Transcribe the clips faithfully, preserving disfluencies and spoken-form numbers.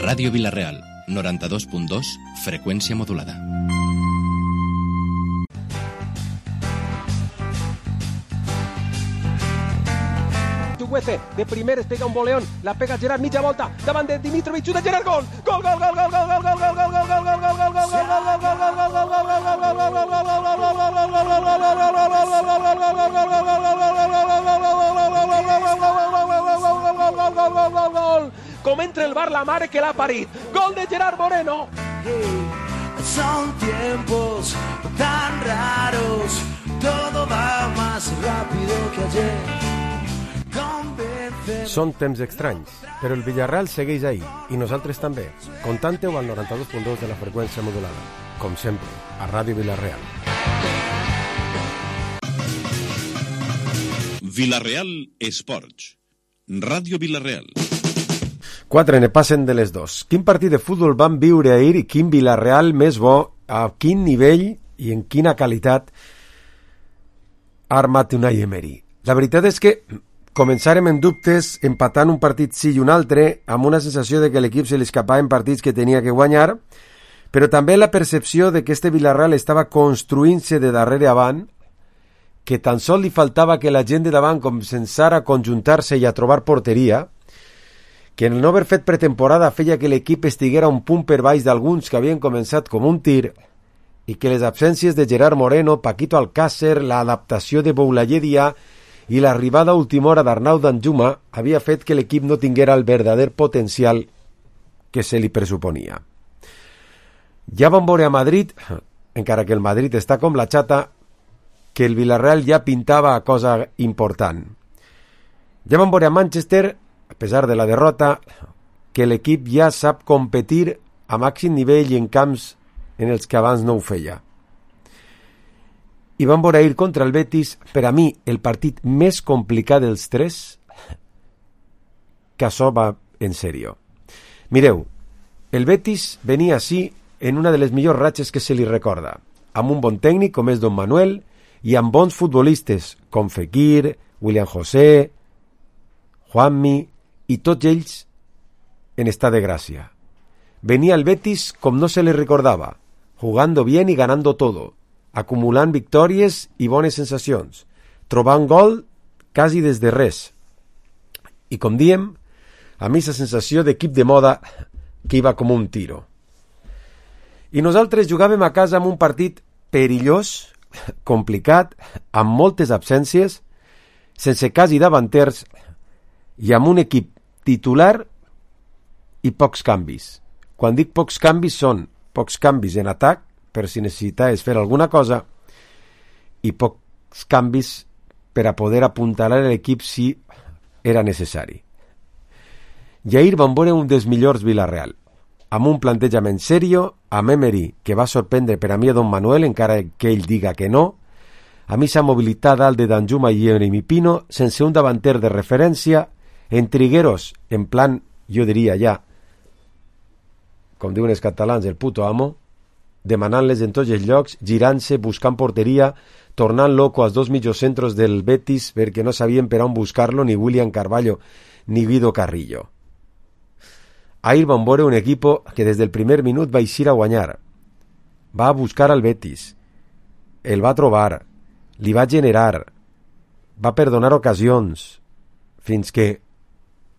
Ràdio Vila-real, noranta-dos punt dos, freqüència modulada. De primer es pega un boleón, la pega Gerard, mitja volta, davant de Dimitrovic, de Gerard, gol! Gol, gol, gol, gol, gol, gol, gol, gol, gol, gol, gol, gol, gol, gol, gol, com entra el bar la mare que l'ha parit. Gol de Gerard Moreno. Son tiempos tan raros, todo va más rápido que ayer. Són temps estranys, però el Villarreal segueix ahí, i nosaltres també. Contante-ho al noranta-dos punt dos de la freqüència modulada. Com sempre, a Ràdio Vila-real. Vila-real Esports. Ràdio Vila-real. Quatre ne passen de les dos. Quin partit de futbol van viure ahir i quin Villarreal més bo, a quin nivell i en quina qualitat ha armat Unai Emery. La veritat és que començarem en dubtes, empatant un partit sí i un altre, amb una sensació de que l'equip se li escapava en partits que tenia que guanyar, però també la percepció de que este Villarreal estava construint-se de darrere avant, que tan sols li faltava que la gent de davant començara a conjuntar-se i a trobar porteria, que en el no haver fet pretemporada feia que l'equip estiguera un punt per baix d'alguns que havien començat com un tir, i que les absències de Gerard Moreno, Paquito Alcácer, l'adaptació de Boulaye Dia i l'arribada a última hora d'Arnau Danjuma havia fet que l'equip no tinguera el verdader potencial que se li pressuponia. Ja vam veure a Madrid, encara que el Madrid està com la xata, que el Villarreal ja pintava a cosa important. Ja vam veure a Manchester, a pesar de la derrota, que l'equip ja sap competir a màxim nivell en camps en els que abans no ho feia. I van veure ahir contra el Betis, per a mi, el partit més complicat dels tres, que això va en sèrio. Mireu, el Betis venia així en una de les millors ratxes que se li recorda, amb un bon tècnic com és Don Manuel i amb bons futbolistes com Fekir, William José, Juanmi i tots ells en estat de gràcia. Venia el Betis com no se li recordava, jugando bien y ganando todo, acumulant victòries i bones sensacions, trobant gol quasi des de res. I com diem, a mi la sensació d'equip de moda que iba com un tiro. I nosaltres jugàvem a casa amb un partit perillós, complicat, amb moltes absències, sense quasi davanters i amb un equip titular i pocs canvis. Quan dic pocs canvis són pocs canvis en atac, per si necessitaves fer alguna cosa, i pocs canvis per a poder apuntalar l'equip si era necessari. I ahir vam veure un dels millors Villarreal, amb un plantejament serio, amb Emery, que va sorprendre per a mi a Don Manuel, encara que ell diga que no, a mi s'ha mobilitat dalt de Danjuma i Jeremy Pino, sense un davanter de referència, en Trigueros, en plan, jo diria ja, com diuen els catalans, el puto amo, demanant-les en tots els llocs, girant-se, buscant porteria, tornant loco als dos mitjocentros del Betis perquè no sabien per on buscar-lo ni William Carvalho ni Guido Carrillo. Ahir vam veure un equip que des del primer minut va eixir a guanyar. Va a buscar al Betis, el va trobar, li va generar, va perdonar ocasions, fins que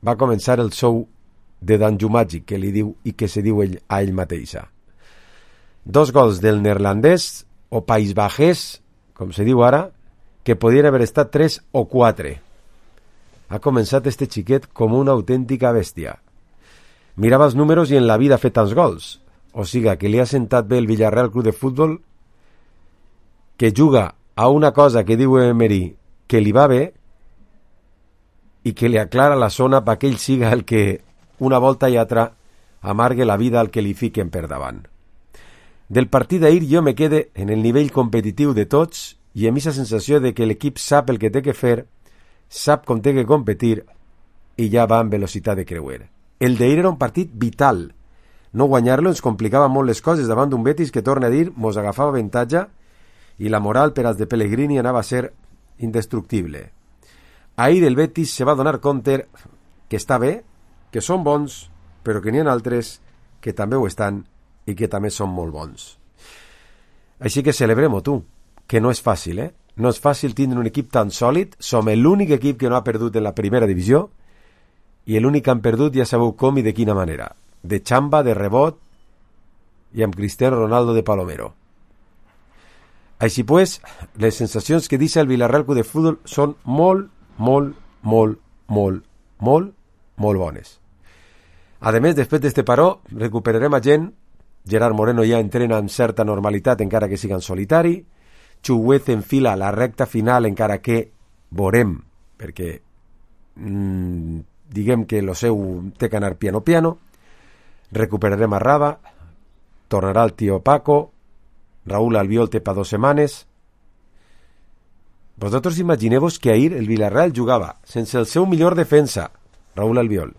va començar el show de Danjumàgic que li diu i que se diu ell, a ell mateixa. Dos gols del neerlandès o País Bajès, com se diu ara, que podien haver estat tres o quatre. Ha començat este xiquet com una autèntica bèstia. Mirava els números i en la vida ha fet tants gols. O siga, que li ha sentat bé el Villarreal Club de Futbol, que juga a una cosa que diu Emery que li va bé i que li aclara la zona perquè ell siga el que una volta i altra amargue la vida al que li fiquen per davant. Del partit d'ahir jo me quede en el nivell competitiu de tots i amb aquesta sensació de que l'equip sap el que té que fer, sap com té que competir i ja va amb velocitat de creuer. El d'ahir era un partit vital. No guanyar-lo ens complicava molt les coses davant d'un Betis que, torna a dir, mos agafava avantatge i la moral per als de Pellegrini anava a ser indestructible. Ahir el Betis se va donar compte que està bé, que són bons però que n'hi ha altres que també ho estan i que també són molt bons. Així que celebrem-ho, tu, que no és fàcil, eh? No és fàcil tindre un equip tan sòlid. Som l'únic equip que no ha perdut en la primera divisió i l'únic que han perdut ja sabeu com i de quina manera. De xamba, de rebot i amb Cristiano Ronaldo de Palomero. Així pues, les sensacions que deixa el Villarreal Club de Futbol són molt, molt, molt, molt, molt, molt bones. A més, després d'este paró, recuperarem a gent. Gerard Moreno ja entrena amb certa normalitat, encara que siga en solitari. Chuguez enfila la recta final, encara que veurem, perquè mmm, diguem que lo seu té que anar piano piano. Recuperarem a Raba, tornarà el tio Paco, Raúl Albiol té pa dos setmanes. Vosaltres imagineu-vos que ahir el Villarreal jugava sense el seu millor defensa, Raúl Albiol,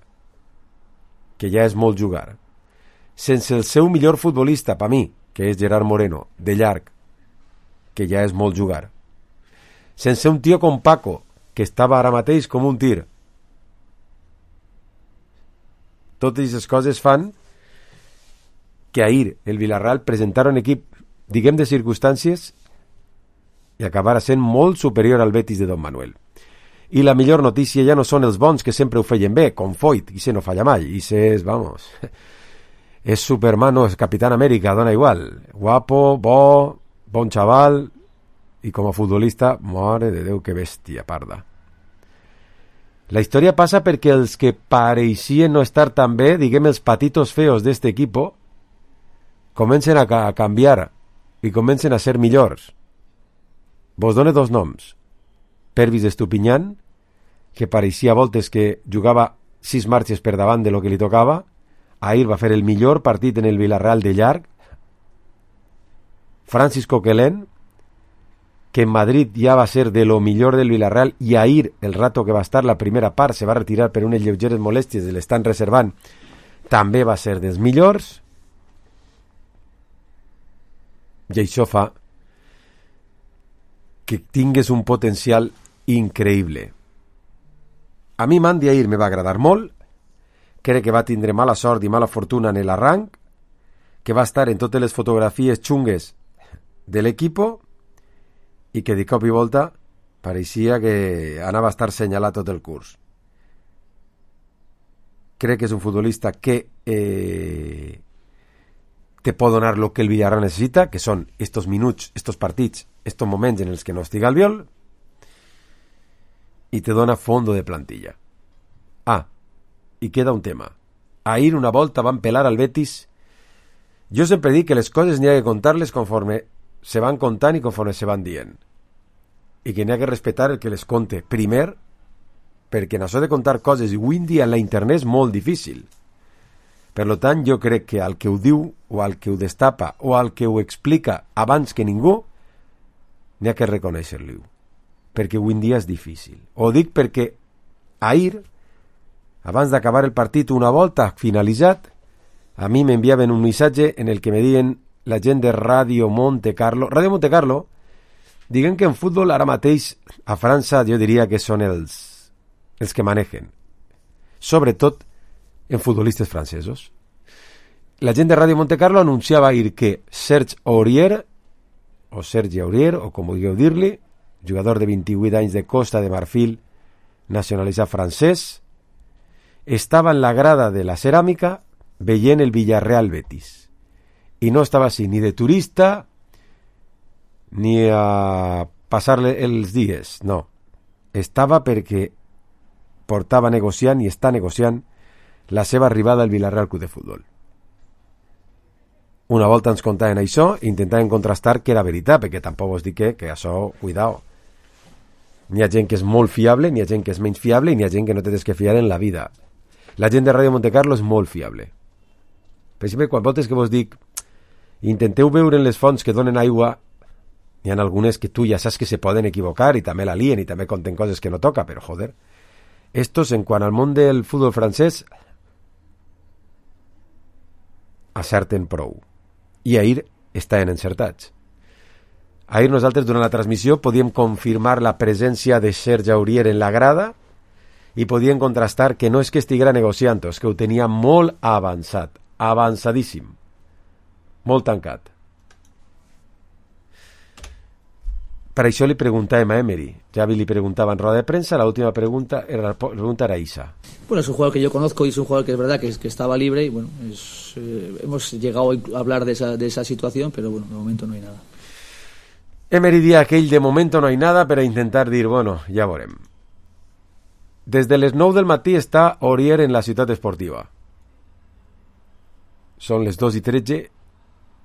que ja és molt jugar, sense el seu millor futbolista, per mi, que és Gerard Moreno, de llarg, que ja és molt jugar, sense un tio com Paco, que estava ara mateix com un tir. Totes aquestes coses fan que ahir el Villarreal presentara un equip, diguem, de circumstàncies i acabara sent molt superior al Betis de Don Manuel. I la millor notícia ja no són els bons, que sempre ho feien bé, com Foyt, i se no falla mai, i se és, vamos, és Superman, no, és Capitán América, dona igual, guapo, bo, bon xaval, i com a futbolista, mare de Déu, que bèstia parda. La història passa perquè els que pareixien no estar tan bé, diguem, els patitos feos d'este equipo, comencen a, ca- a canviar i comencen a ser millors. Vos done dos noms. Pervis Estupinyan, que pareixia a voltes que jugava sis marxes per davant de lo que li tocava. Ahir va fer el millor partit en el Villarreal de llarg. Francis Coquelin, que en Madrid ja va ser de lo millor del Villarreal, i ahir, el rato que va estar la primera part, se va retirar per unes lleugeres molèsties, l'estan reservant, també va ser dels millors. I això fa que tingues un potencial increïble. A mi Mandy ahir me va agradar molt. Crec que va tindre mala sort i mala fortuna en l'arranc, que va estar en totes les fotografies xungues de l'equipo i que de cop i volta pareixia que anava a estar senyalat tot el curs. Crec que és un futbolista que eh, te pot donar el que el Villarreal necessita, que són estos minuts, estos partits, estos moments en els que no estiga el viol, i te dona fondo de plantilla. Ah, i queda un tema. Ahir una volta van pelar al Betis. Jo sempre dic que les coses n'hi ha que contar-les conforme se van contant i conforme se van dient. I que n'hi ha que respectar el que les conte primer, perquè en això de contar coses avui en dia en la internet és molt difícil. Per tant, jo crec que al que ho diu, o al que ho destapa, o al que ho explica abans que ningú, n'hi ha que reconèixer-li, perquè avui en dia és difícil. Ho dic perquè ahir, abans d'acabar el partit, una volta finalitzat, a mi m'enviaven un missatge en el que me diuen la gent de Ràdio Monte Carlo. Ràdio Monte Carlo, diguem que en futbol ara mateix a França jo diria que són els, els que manegen, sobretot en futbolistes francesos. La gent de Ràdio Monte Carlo anunciava ahir que Serge Aurier, o Sergi Aurier, o com vulgueu dir-li, jugador de vint-i-vuit anys de Costa de Marfil, nacionalitzat francès, estava en la grada de la ceràmica veient el Villarreal Betis. I no estava així ni de turista ni a passar-le els dies, no. Estava perquè portava negociant i està negociant la seva arribada al Villarreal Club de Futbol. Una volta ens contaven això i intentaven contrastar que era veritat, perquè tampoc us dic que, que això, cuidao. N'hi ha gent que és molt fiable, n'hi ha gent que és menys fiable i n'hi ha gent que no tens que fiar en la vida. La gent de Ràdio Monte Carlo és molt fiable. Per exemple, quan voltes que vos dic intenteu veure en les fonts que donen aigua, n'hi ha algunes que tu ja saps que se poden equivocar i també la lien i també conten coses que no toca, però joder, estos en quant al món del futbol francès acerten prou. I ahir estaven encertats. Ahir nosaltres durant la transmissió podíem confirmar la presència de Serge Aurier en la grada i podien contrastar que no és que estiguera negociant, és que ho tenia molt avançat, avançadíssim, molt tancat. Per això li preguntàvem a Emery. Javi li preguntava en roda de prensa, la última pregunta era, la pregunta era Isa. Bueno, es un jugador que yo conozco y es un jugador que es verdad que, es, que estaba libre y bueno, es, eh, hemos llegado a hablar de esa, de esa situación, pero bueno, de momento no hay nada. Emery dia aquell de momento no hay nada per a intentar dir, bueno, ja veurem. Des de les nou del matí està Aurier en la ciutat esportiva. Són les dos i tretze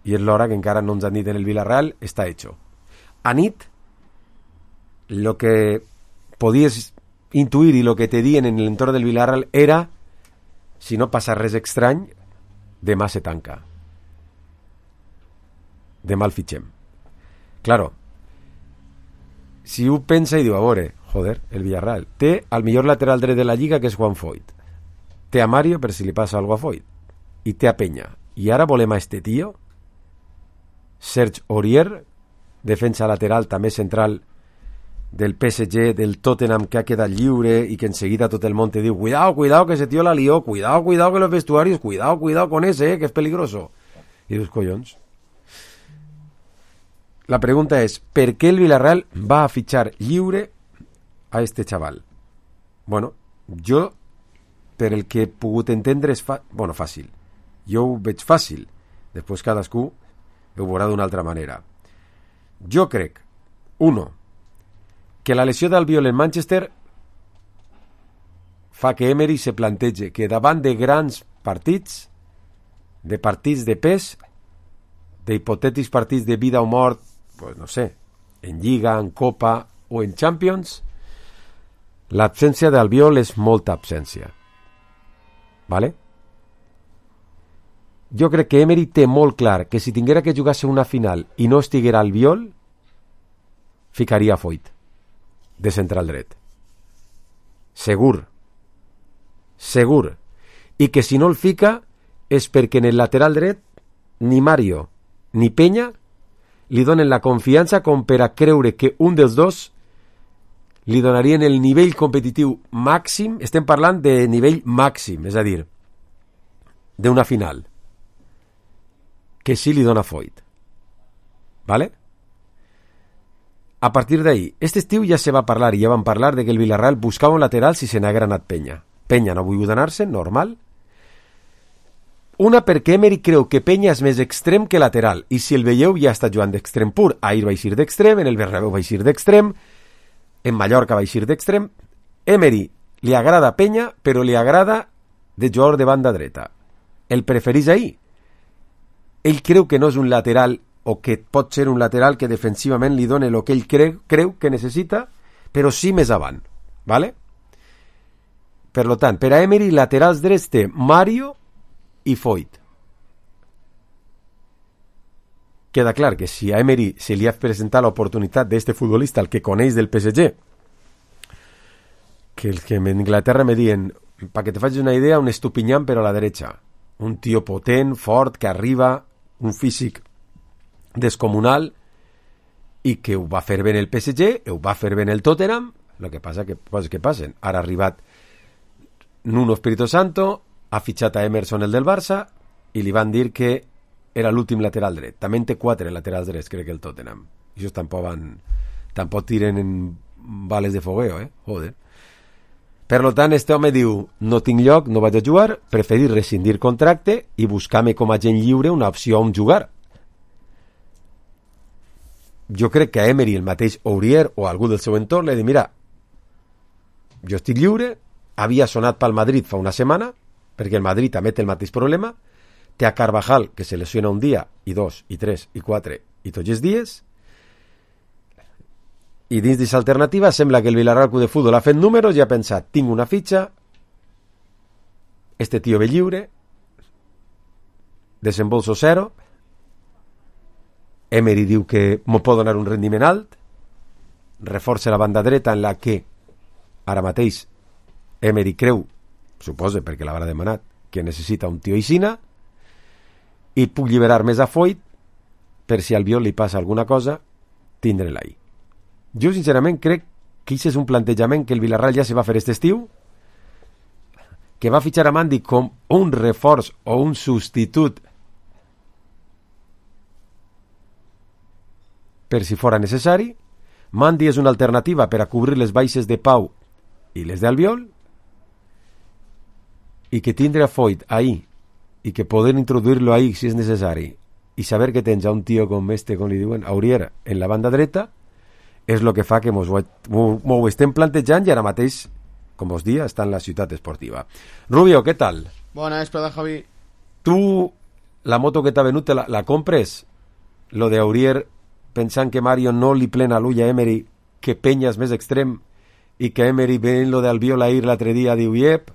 i és l'hora que encara no ens han dit en el Villarreal, està hecho. A nit, lo que podies intuir i lo que te dien en l'entorn del Villarreal era, si no passa res estrany, demà se tanca. Demà el fitxem. Claro, si ho pensa i diu, a veure, joder, el Villarreal té al millor lateral dret de la Lliga, que és Juan Foyt, té a Mario per si li passa algo a Foyt, i té a Peña, i ara volem a este tío, Serge Aurier, defensa lateral també central del P S G, del Tottenham, que ha quedat lliure i que enseguida tot el món te diu, cuidado, cuidado que ese tío la lió, cuidado, cuidado que los vestuarios, cuidado, cuidado con ese, eh, que es peligroso. I dius, collons. La pregunta és, per què el Villarreal va a fitxar lliure a este chaval? Bueno, jo, per el que he pogut entendre, és fa... bueno, fàcil. Jo ho veig fàcil. Després cadascú ho veurà d'una altra manera. Jo crec, uno, que la lesió d'Albiol en Manchester fa que Emery se plantege que davant de grans partits, de partits de pes, d'hipotètics partits de vida o mort, pues no sé, en Lliga, en Copa o en Champions, l'absència d'Albiol és molta absència. ¿Vale? Jo crec que Emery té molt clar que si tinguera que jugar-se una final i no estiguera Albiol, ficaria Foyt de central dret. Segur. Segur. I que si no el fica és perquè en el lateral dret ni Mario ni Peña li donen la confiança com per a creure que un dels dos li donarien el nivell competitiu màxim, estem parlant de nivell màxim, és a dir, d'una final, que sí li dona Foyt. ¿Vale? A partir d'ahí, este estiu ja se va parlar i ja van parlar de que el Villarreal buscava un lateral si se n'haguera anat Peña. Peña no ha volgut anar-se, normal. Una perquè Emery creu que Peña és més extrem que lateral, i si el veieu ja està jugant d'extrem pur. Ahir va eixir d'extrem, en el Bernabéu va eixir d'extrem, en Mallorca va eixir d'extrem. Emery li agrada Peña, però li agrada de jugador de banda dreta. El preferís ahir. Ell creu que no és un lateral, o que pot ser un lateral que defensivament li doni el que ell creu, creu que necessita, però sí més avant. ¿Vale? Per lo tant, per a Emery, laterals drets té Mario i Foyt. Queda clar que si a Emery se li ha presentat l'oportunitat d'este futbolista, el que coneix del P S G, que el que en Inglaterra me diuen, para que te facis una idea, un Estupiñán però a la derecha, un tio potent, fort, que arriba, un físic descomunal, i que ho va fer bé en el P S G, ho va fer bé en el Tottenham. El que passa que coses que passen. Ara ha arribat Nuno Espíritu Santo, ha fitxat a Emerson, el del Barça, i li van dir que era l'últim lateral dret. També en té quatre laterals drets, crec que el Tottenham. I això tampoc van... tampoc tiren en bales de fogueo, eh? Joder. Per lo tant, este home diu, no tinc lloc, no vaig a jugar, preferir rescindir contracte i buscar-me com a gent lliure una opció on jugar. Jo crec que a Emery, el mateix Aurier o algú del seu entorn, li ha dit, mira, jo estic lliure, havia sonat pel Madrid fa una setmana, perquè el Madrid també té el mateix problema, té a Carvajal, que se lesiona un dia, i dos, i tres, i quatre, i tots els dies, i dins d'aquesta alternativa sembla que el Villarreal Club de Futbol ha fet números i ha pensat, tinc una fitxa, este tio ve lliure, desembolso zero, Emery diu que m'ho pot donar un rendiment alt, reforça la banda dreta en la que ara mateix Emery creu, suposa perquè l'haurà demanat, que necessita un tio Isina, i puc lliberar més a Foyt per si al Albiol li passa alguna cosa, tindre-la ahí. Jo sincerament crec que aquest és un plantejament que el Villarreal ja se va fer aquest estiu que va fitxar a Mandy com un reforç o un substitut per si fora necessari. Mandy és una alternativa per a cobrir les baixes de Pau i les d'Albiol, i que tindre a Foyt ahí i que poder introduir-lo ahí si és necessari i saber que tens a un tio com este, com li diuen, Aurier, en la banda dreta, és el que fa que mos ho, ho estem plantejant i ara mateix, com us dia, està en la ciutat esportiva. Rubio, què tal? Bona vesprada, Javi. Tu, la moto que t'ha venut, la, la compres? Lo de Aurier, pensant que Mario no li plena l'ull a Emery, que Peña és més extrem, i que Emery, veient lo d'Albiol ahir l'altre dia, diu, iep,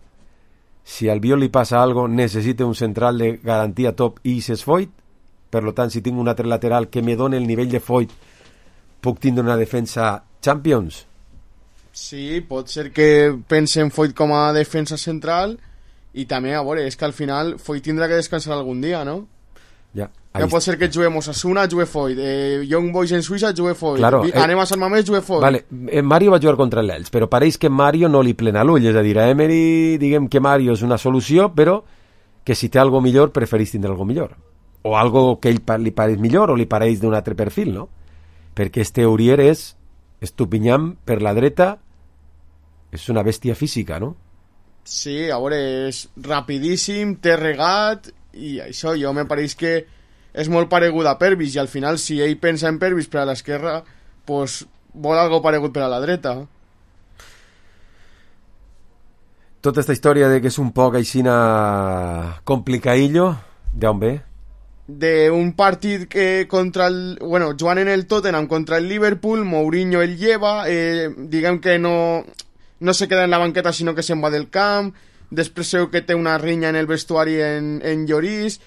si a Albiol li passa algo, necessita un central de garantia top i és Foyt, per lo tant, si tinc un altre lateral que me doni el nivell de Foyt, puc tindre una defensa Champions? Sí, pot ser que pense en Foyt com a defensa central i també, a veure, és que al final Foyt tindrà que descansar algun dia, no? Ja. No pot ser que juguemos Osasuna, jugue Foyt, eh, Young Boys en Suïssa, jugue Foyt, claro, eh, anem a Sant Mamés, jugue Foyt. Vale, eh, Mario va jugar contra l'Elx, però pareix que Mario no li plena l'ull, és a dir, a Emery diguem que Mario és una solució, però que si té algo millor preferís tindre algo millor, o algo que ell li pareix millor o li pareix d'un altre perfil, no? Perquè este Aurier és estupinyant per la dreta, és una bèstia física, no? Sí, a veure, és rapidíssim, té regat, i això jo me pareix que és molt paregut a Pervis, i al final si ell pensa en Pervis per a l'esquerra, pues vol algo paregut per a la dreta. Tota esta història de que és un poc aixina complicadillo, d'on ve? d'un partit que contra el, bueno, jugant en el Tottenham contra el Liverpool, Mourinho el lleva, eh, diguem que no, no se queda en la banqueta sinó que se'n va del camp, després seu que té una rinya en el vestuari en, en Lloris,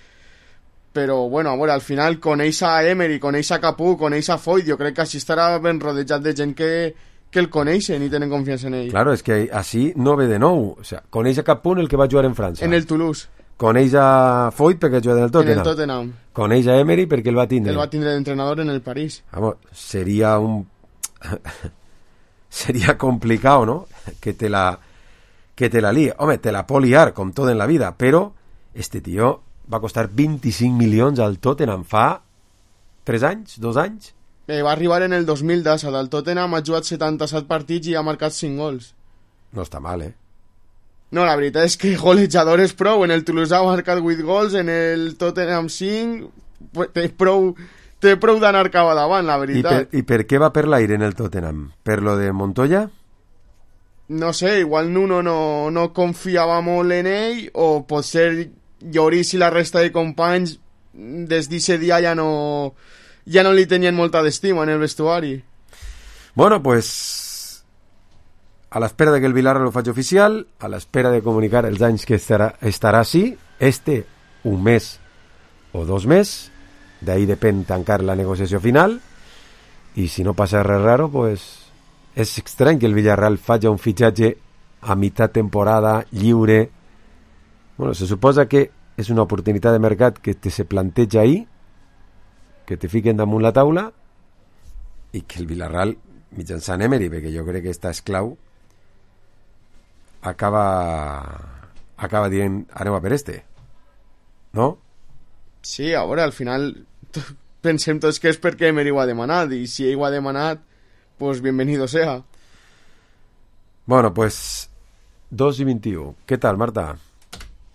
però bueno, a veure, al final coneix a Emery, coneix a Capú, coneix a Foyt, jo crec que així estarà ben rodejat de gent que, que el coneixen i tenen confiança en ell. Claro, és que així no ve de nou, o sea, coneix a Capú el que va jugar en França. En el Toulouse. Coneix a Foyt perquè juga en el Tottenham. En el Tottenham. Coneix a Emery perquè el va tindre. El va tindre d'entrenador en el París. Vamos, sería un... sería complicado, ¿no? Que te la... que te la líe. Home, te la pot liar, com tot en la vida, però este tio va costar vint-i-cinc milions al Tottenham fa tres anys, dos anys. Eh, va arribar en el dos mil deu al Tottenham, ha jugat setanta-set partits i ha marcat cinc gols. No està mal, eh? No, la veritat és que golejador és prou. En el Toulouse ha marcat vuit gols, en el Tottenham cinc, té prou, té prou d'anar cap a davant, la veritat. I per, I per què va per l'aire en el Tottenham? Per lo de Montoya? No sé, igual Nuno no, no confiava molt en ell, o potser Lloris i la resta de companys des d'aquest dia ja no, ja no li tenien molta d'estima en el vestuari. Bueno, pues a l'espera de que el Villarreal ho faci oficial, a l'espera de comunicar els anys que estarà, estarà així, este un mes o dos més, d'ahí depèn tancar la negociació final, i si no passa res raro, pues és estrany que el Villarreal faci un fitxatge a mitad temporada, lliure. Bueno, se suposa que és una oportunitat de mercat que te se planteja ahí, que te fiquen damunt la taula, i que el Villarreal, mitjançant Emery, perquè jo crec que està esclau, acaba acaba dient anem a per este, no? Sí, a veure, al final pensem tots que és perquè Emery ho ha demanat, i si ell ho ha demanat, pues bienvenido sea. Bueno, pues dos i vint-i-u. Què tal, Marta?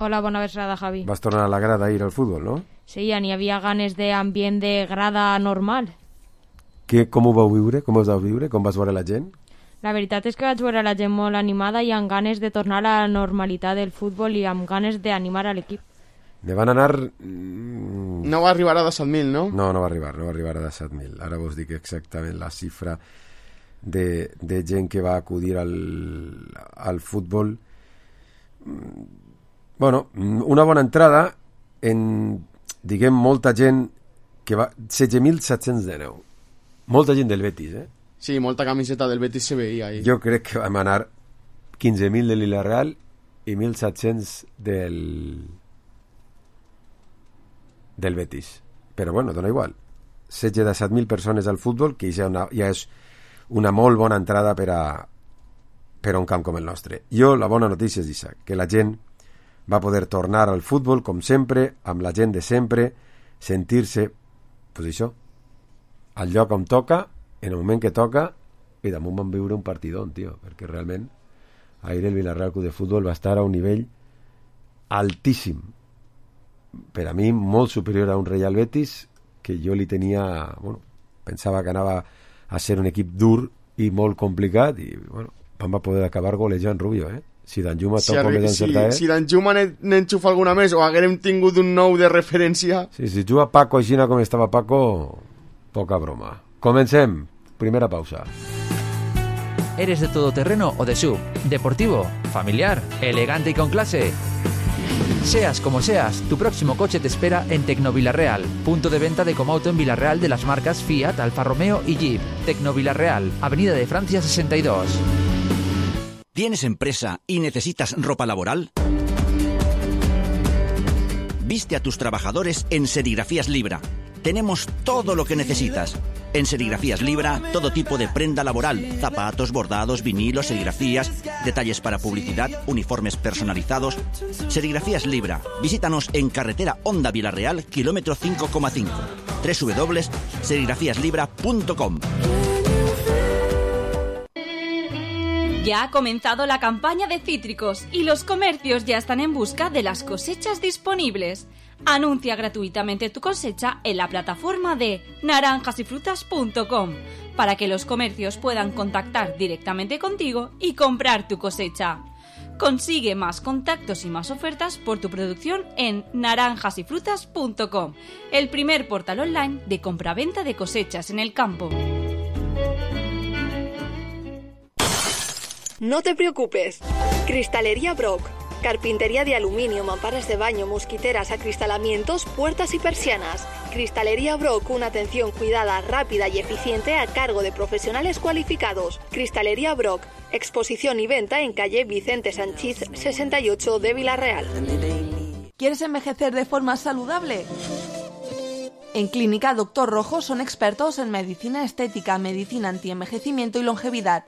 Hola, bona vesprada, Javi. Vas tornar a la grada a ir al futbol, no? Sí, ja n'hi havia ganes d'ambient de grada normal. Que, com ho vau viure? Com us vau viure? Com vas veure la gent? La veritat és que vaig veure la gent molt animada i amb ganes de tornar a la normalitat del futbol i amb ganes d'animar a l'equip. Ne van anar... No va arribar a disset mil, no? No, no va arribar, no va arribar a disset mil. Ara vos dic exactament la xifra de, de gent que va acudir al, al futbol. Bueno, una bona entrada en, diguem, molta gent que va... setze mil set-cents dinou. Molta gent del Betis, eh? Sí, molta camiseta del Betis se veia ahí. Jo crec que vam anar quinze mil de Villarreal i mil set-cents del del Betis. Però bueno, dona igual. setze de set mil persones al futbol, que ja, una, ja és una molt bona entrada per a, per a un camp com el nostre. Jo, la bona notícia és això, que la gent va poder tornar al futbol, com sempre, amb la gent de sempre, sentir-se, pues això, al lloc on toca, en el moment que toca, i damunt van viure un partidón, tio, perquè realment ahir el Villarreal Club de Futbol va estar a un nivell altíssim, per a mi molt superior a un Real Betis, que jo li tenia, bueno, pensava que anava a ser un equip dur i molt complicat, i bueno, van va poder acabar golejant Rubio, eh? Si Danjuma si, tot com és encertar, si, si Danjuma n'enxufa alguna més o haguérem tingut un nou de referència... Sí, si juga Paco així com estava Paco, poca broma. Comencem. Primera pausa. ¿Eres de todoterreno o de S U V? ¿Deportivo? ¿Familiar? ¿Elegante y con clase? Seas como seas, tu próximo coche te espera en Tecnovilarreal, punto de venta de Comauto en Villarreal de las marcas Fiat, Alfa Romeo y Jeep. Tecnovilarreal, Avenida de Francia sesenta y dos. ¿Tienes empresa y necesitas ropa laboral? Viste a tus trabajadores en Serigrafías Libra. Tenemos todo lo que necesitas. En Serigrafías Libra, todo tipo de prenda laboral, zapatos, bordados, vinilos, serigrafías, detalles para publicidad, uniformes personalizados. Serigrafías Libra. Visítanos en carretera Honda Villarreal, kilómetro cinco coma cinco. doble u doble u doble u punto serigrafías libra punto com. Ya ha comenzado la campaña de cítricos y los comercios ya están en busca de las cosechas disponibles. Anuncia gratuitamente tu cosecha en la plataforma de naranjas y frutas punto com para que los comercios puedan contactar directamente contigo y comprar tu cosecha. Consigue más contactos y más ofertas por tu producción en naranjas y frutas punto com, el primer portal online de compraventa de cosechas en el campo. No te preocupes. Cristalería Brock. Carpintería de aluminio, mamparas de baño, mosquiteras, acristalamientos, puertas y persianas. Cristalería Brock, una atención cuidada, rápida y eficiente a cargo de profesionales cualificados. Cristalería Brock, exposición y venta en calle Vicente Sanchís sesenta y ocho de Villarreal. ¿Quieres envejecer de forma saludable? En Clínica Doctor Rojo son expertos en medicina estética, medicina antienvejecimiento y longevidad.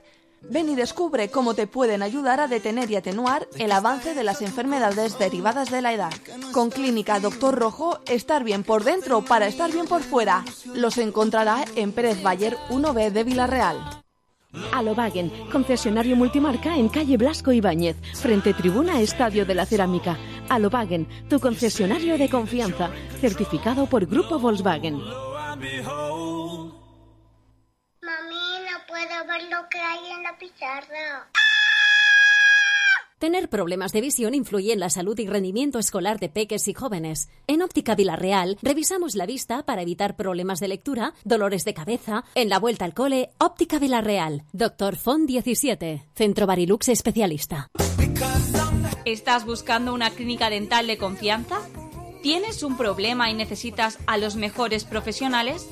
Ven y descubre cómo te pueden ayudar a detener y atenuar el avance de las enfermedades derivadas de la edad. Con Clínica Doctor Rojo, estar bien por dentro para estar bien por fuera. Los encontrará en Pérez Bayer uno B de Villarreal. Alobagen, concesionario multimarca en calle Blasco Ibáñez, frente tribuna Estadio de la Cerámica. Alobagen, tu concesionario de confianza, certificado por Grupo Volkswagen. Puedo ver lo que hay en la pizarra. Tener problemas de visión influye en la salud y rendimiento escolar de peques y jóvenes. En Óptica Villarreal revisamos la vista para evitar problemas de lectura, dolores de cabeza. En la vuelta al cole, Óptica Villarreal. Doctor Font diecisiete, Centro Barilux Especialista. ¿Estás buscando una clínica dental de confianza? ¿Tienes un problema y necesitas a los mejores profesionales?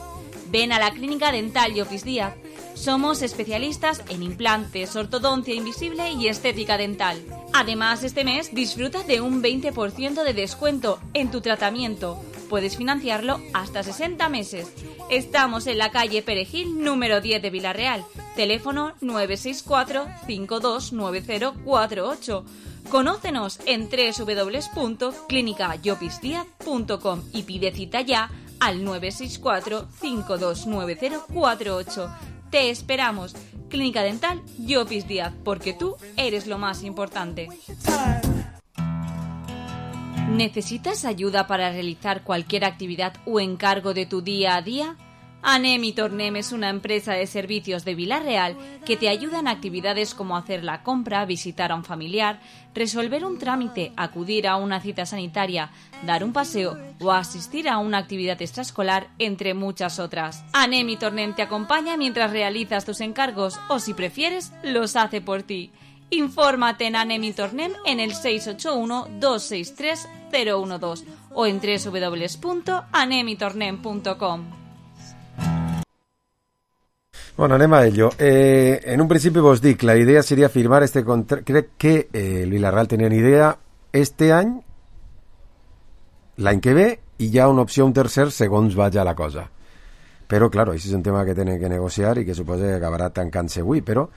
Ven a la Clínica Dental Llopis Díaz. Somos especialistas en implantes, ortodoncia invisible y estética dental. Además, este mes disfruta de un veinte por ciento de descuento en tu tratamiento. Puedes financiarlo hasta sesenta meses. Estamos en la calle Perejil, número diez de Villarreal. Teléfono nueve seis cuatro, cinco dos nueve cero cuatro ocho. Conócenos en doble u doble u doble u punto clínica llopis díaz punto com y pide cita ya al nueve seis cuatro, cinco dos nueve cero cuatro ocho. Te esperamos. Clínica Dental Llopis Díaz, porque tú eres lo más importante. ¿Necesitas ayuda para realizar cualquier actividad o encargo de tu día a día? Anem y Tornem es una empresa de servicios de Villarreal que te ayuda en actividades como hacer la compra, visitar a un familiar, resolver un trámite, acudir a una cita sanitaria, dar un paseo o asistir a una actividad extraescolar, entre muchas otras. Anem y Tornem te acompaña mientras realizas tus encargos o, si prefieres, los hace por ti. Infórmate en Anem y Tornem en el seis ocho uno, dos seis tres, cero uno dos o en doble u doble u doble u punto anem y tornem punto com. Bueno, anem a ello. Eh, en un principi vos dic, la idea seria firmar este contrato. Crec que eh, el Villarreal tenien idea este any, l'any que ve, i hi ha una opció, un tercer, segons vaja la cosa. Però, clar, això és un tema que tenen que negociar i que suposa que acabarà tancant-se avui, però,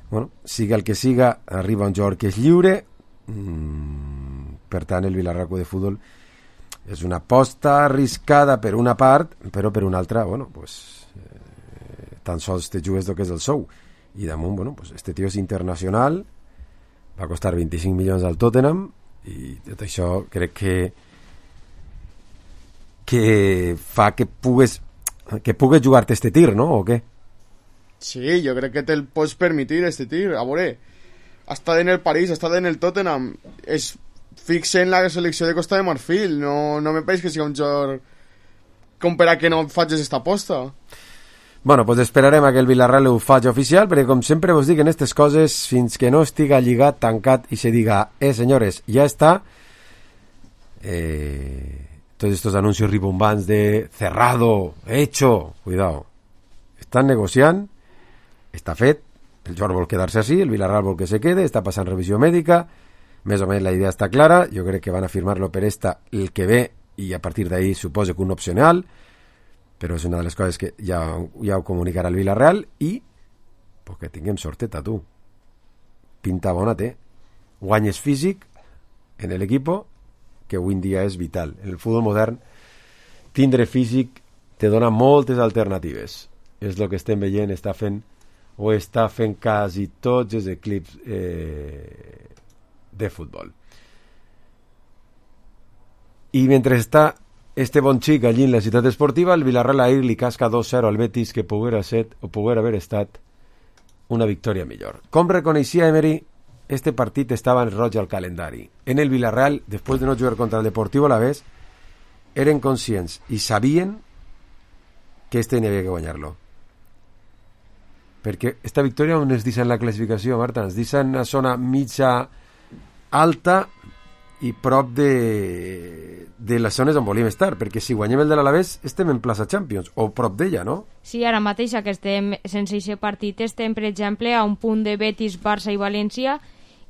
bueno, siga el que siga, arriba un jugador que és lliure, mmm, Per tant, el Villarreal Club de Futbol és una aposta arriscada per una part, però per una altra, bueno, pues, eh, tan sols te jugues el que és el sou. I damunt, bueno, pues, este tio és internacional, va costar vint-i-cinc milions al Tottenham, i tot això crec que que fa que pugues que pugues jugar-te este tir, no? O què? Sí, jo crec que te'l pots permitir, este tir. A veure, ha estat en el París, ha estat en el Tottenham, és fixe en la selecció de Costa de Marfil, no, no me pareix que sigui un jugador com per a que no facis esta aposta. Bueno, pues esperarem a que el Villarreal ho faci oficial, perquè com sempre vos dic en aquestes coses, fins que no estiga lligat, tancat i se diga, eh senyores, ja està, eh, tots estos anuncios ribombants de cerrado, hecho, cuidado, estan negociant, està fet, el jugador vol quedar-se així, el Villarreal vol que se quede, està passant revisió mèdica, més o menys la idea està clara, jo crec que van a firmar-lo per esta el que ve, i a partir d'ahí suposo que un opcional, però és una de les coses que ja, ja ho comunicarà el Villarreal, i pues que tinguem sorteta, tu. Pinta bona té. Guanyes físic en l'equip, que avui en dia és vital. En el futbol modern, tindre físic te dona moltes alternatives. És el que estem veient, està fent, o està fent quasi tots els equips eh, de futbol. I mentre està este bon xic allí en la ciutat esportiva, el Villarreal ahir li casca dos zero al Betis, que poguera ser o poguera haver estat una victòria millor. Com reconeixia Emery, este partit estava en roig al calendari. En el Villarreal, després de no jugar contra el Deportivo Alavés, eren conscients i sabien que este n'hi havia que guanyar-lo. Perquè esta victòria on es deixa en la classificació, Marta? Es deixa en una zona mitja alta i prop de, de les zones on volíem estar, perquè si guanyem el de l'Alavés estem en plaça Champions, o prop d'ella, no? Sí, ara mateix que estem sense aquest partit estem, per exemple, a un punt de Betis, Barça i València,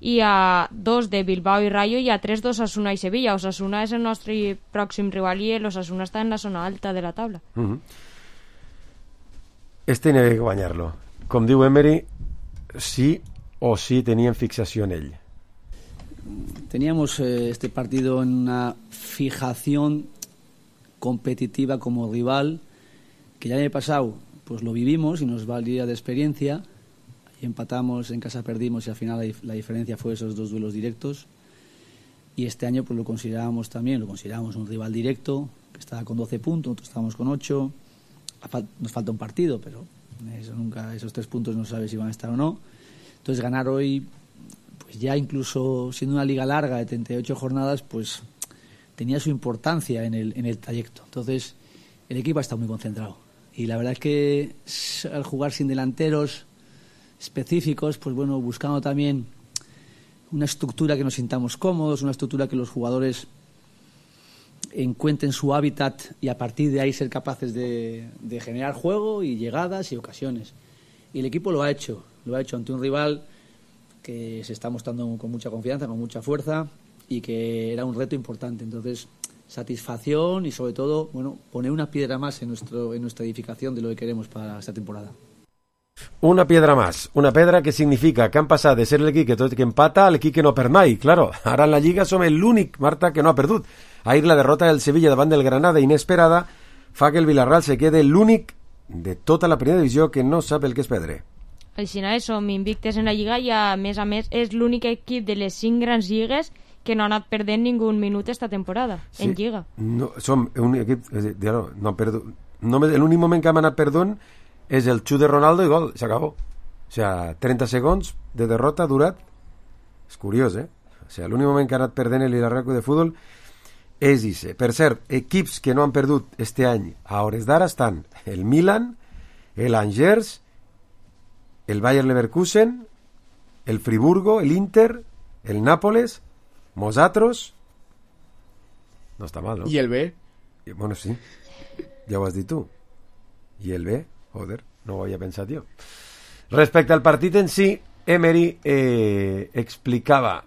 i a dos de Bilbao i Rayo, i a tres d'Osasuna i Sevilla. Osasuna és el nostre pròxim rival i l'Osasuna està en la zona alta de la taula. Uh-huh. Este n'hi havia que guanyar-lo. Com diu Emery, sí o sí tenien fixació en ell. Teníamos eh, este partido en una fijación competitiva como rival, que ya el año pasado pues lo vivimos y nos valía de experiencia. Ahí empatamos, en casa perdimos y al final la, la diferencia fue esos dos duelos directos. Y este año pues lo considerábamos también, lo considerábamos un rival directo, que estaba con doce puntos, nosotros estábamos con ocho. Nos falta un partido, pero eso nunca, esos tres puntos no sabes si van a estar o no. Entonces ganar hoy, pues ya incluso siendo una liga larga de treinta y ocho jornadas, pues tenía su importancia en el, en el trayecto. Entonces el equipo ha estado muy concentrado. Y la verdad es que al jugar sin delanteros específicos, pues bueno, buscando también una estructura que nos sintamos cómodos, una estructura que los jugadores encuentren su hábitat y a partir de ahí ser capaces de, de generar juego y llegadas y ocasiones. Y el equipo lo ha hecho, lo ha hecho ante un rival que se está mostrando con mucha confianza, con mucha fuerza y que era un reto importante. Entonces, satisfacción y sobre todo, bueno, poner una piedra más en, nuestro, en nuestra edificación de lo que queremos para esta temporada. Una piedra más, una pedra que significa que han passat de ser l'equip que tot que empata a l'equip que no perd mai. Claro, ara en la Lliga som l'únic, Marta, que no ha perdut. Ahir la derrota del Sevilla davant del Granada inesperada fa que el Villarreal se quede l'únic de tota la primera divisió que no sap el que és perdre. Així som invictes en la Lliga i a més a més és l'únic equip de les cinc grans lligues que no ha anat perdent ningú minut esta temporada, sí, en Lliga. No, som un equip, no, no perdut, no, l'únic moment que hem anat perdent és el xut de Ronaldo i gol, s'acabó. O sea, trenta segons de derrota durat. És curiós, eh? O sea, l'únic moment que ha anat perdent el Villarreal de futbol és ese. Per cert, equips que no han perdut este any a hores d'ara estan el Milan, el Angers, el Bayer Leverkusen, el Friburgo, el Inter, el Nápoles, Mosatros. No està mal, no? I el B. I, bueno, sí. Ja ho has dit tu. I el B. Joder, no ho havia pensat jo. Respecte al partit en si, Emery eh, explicava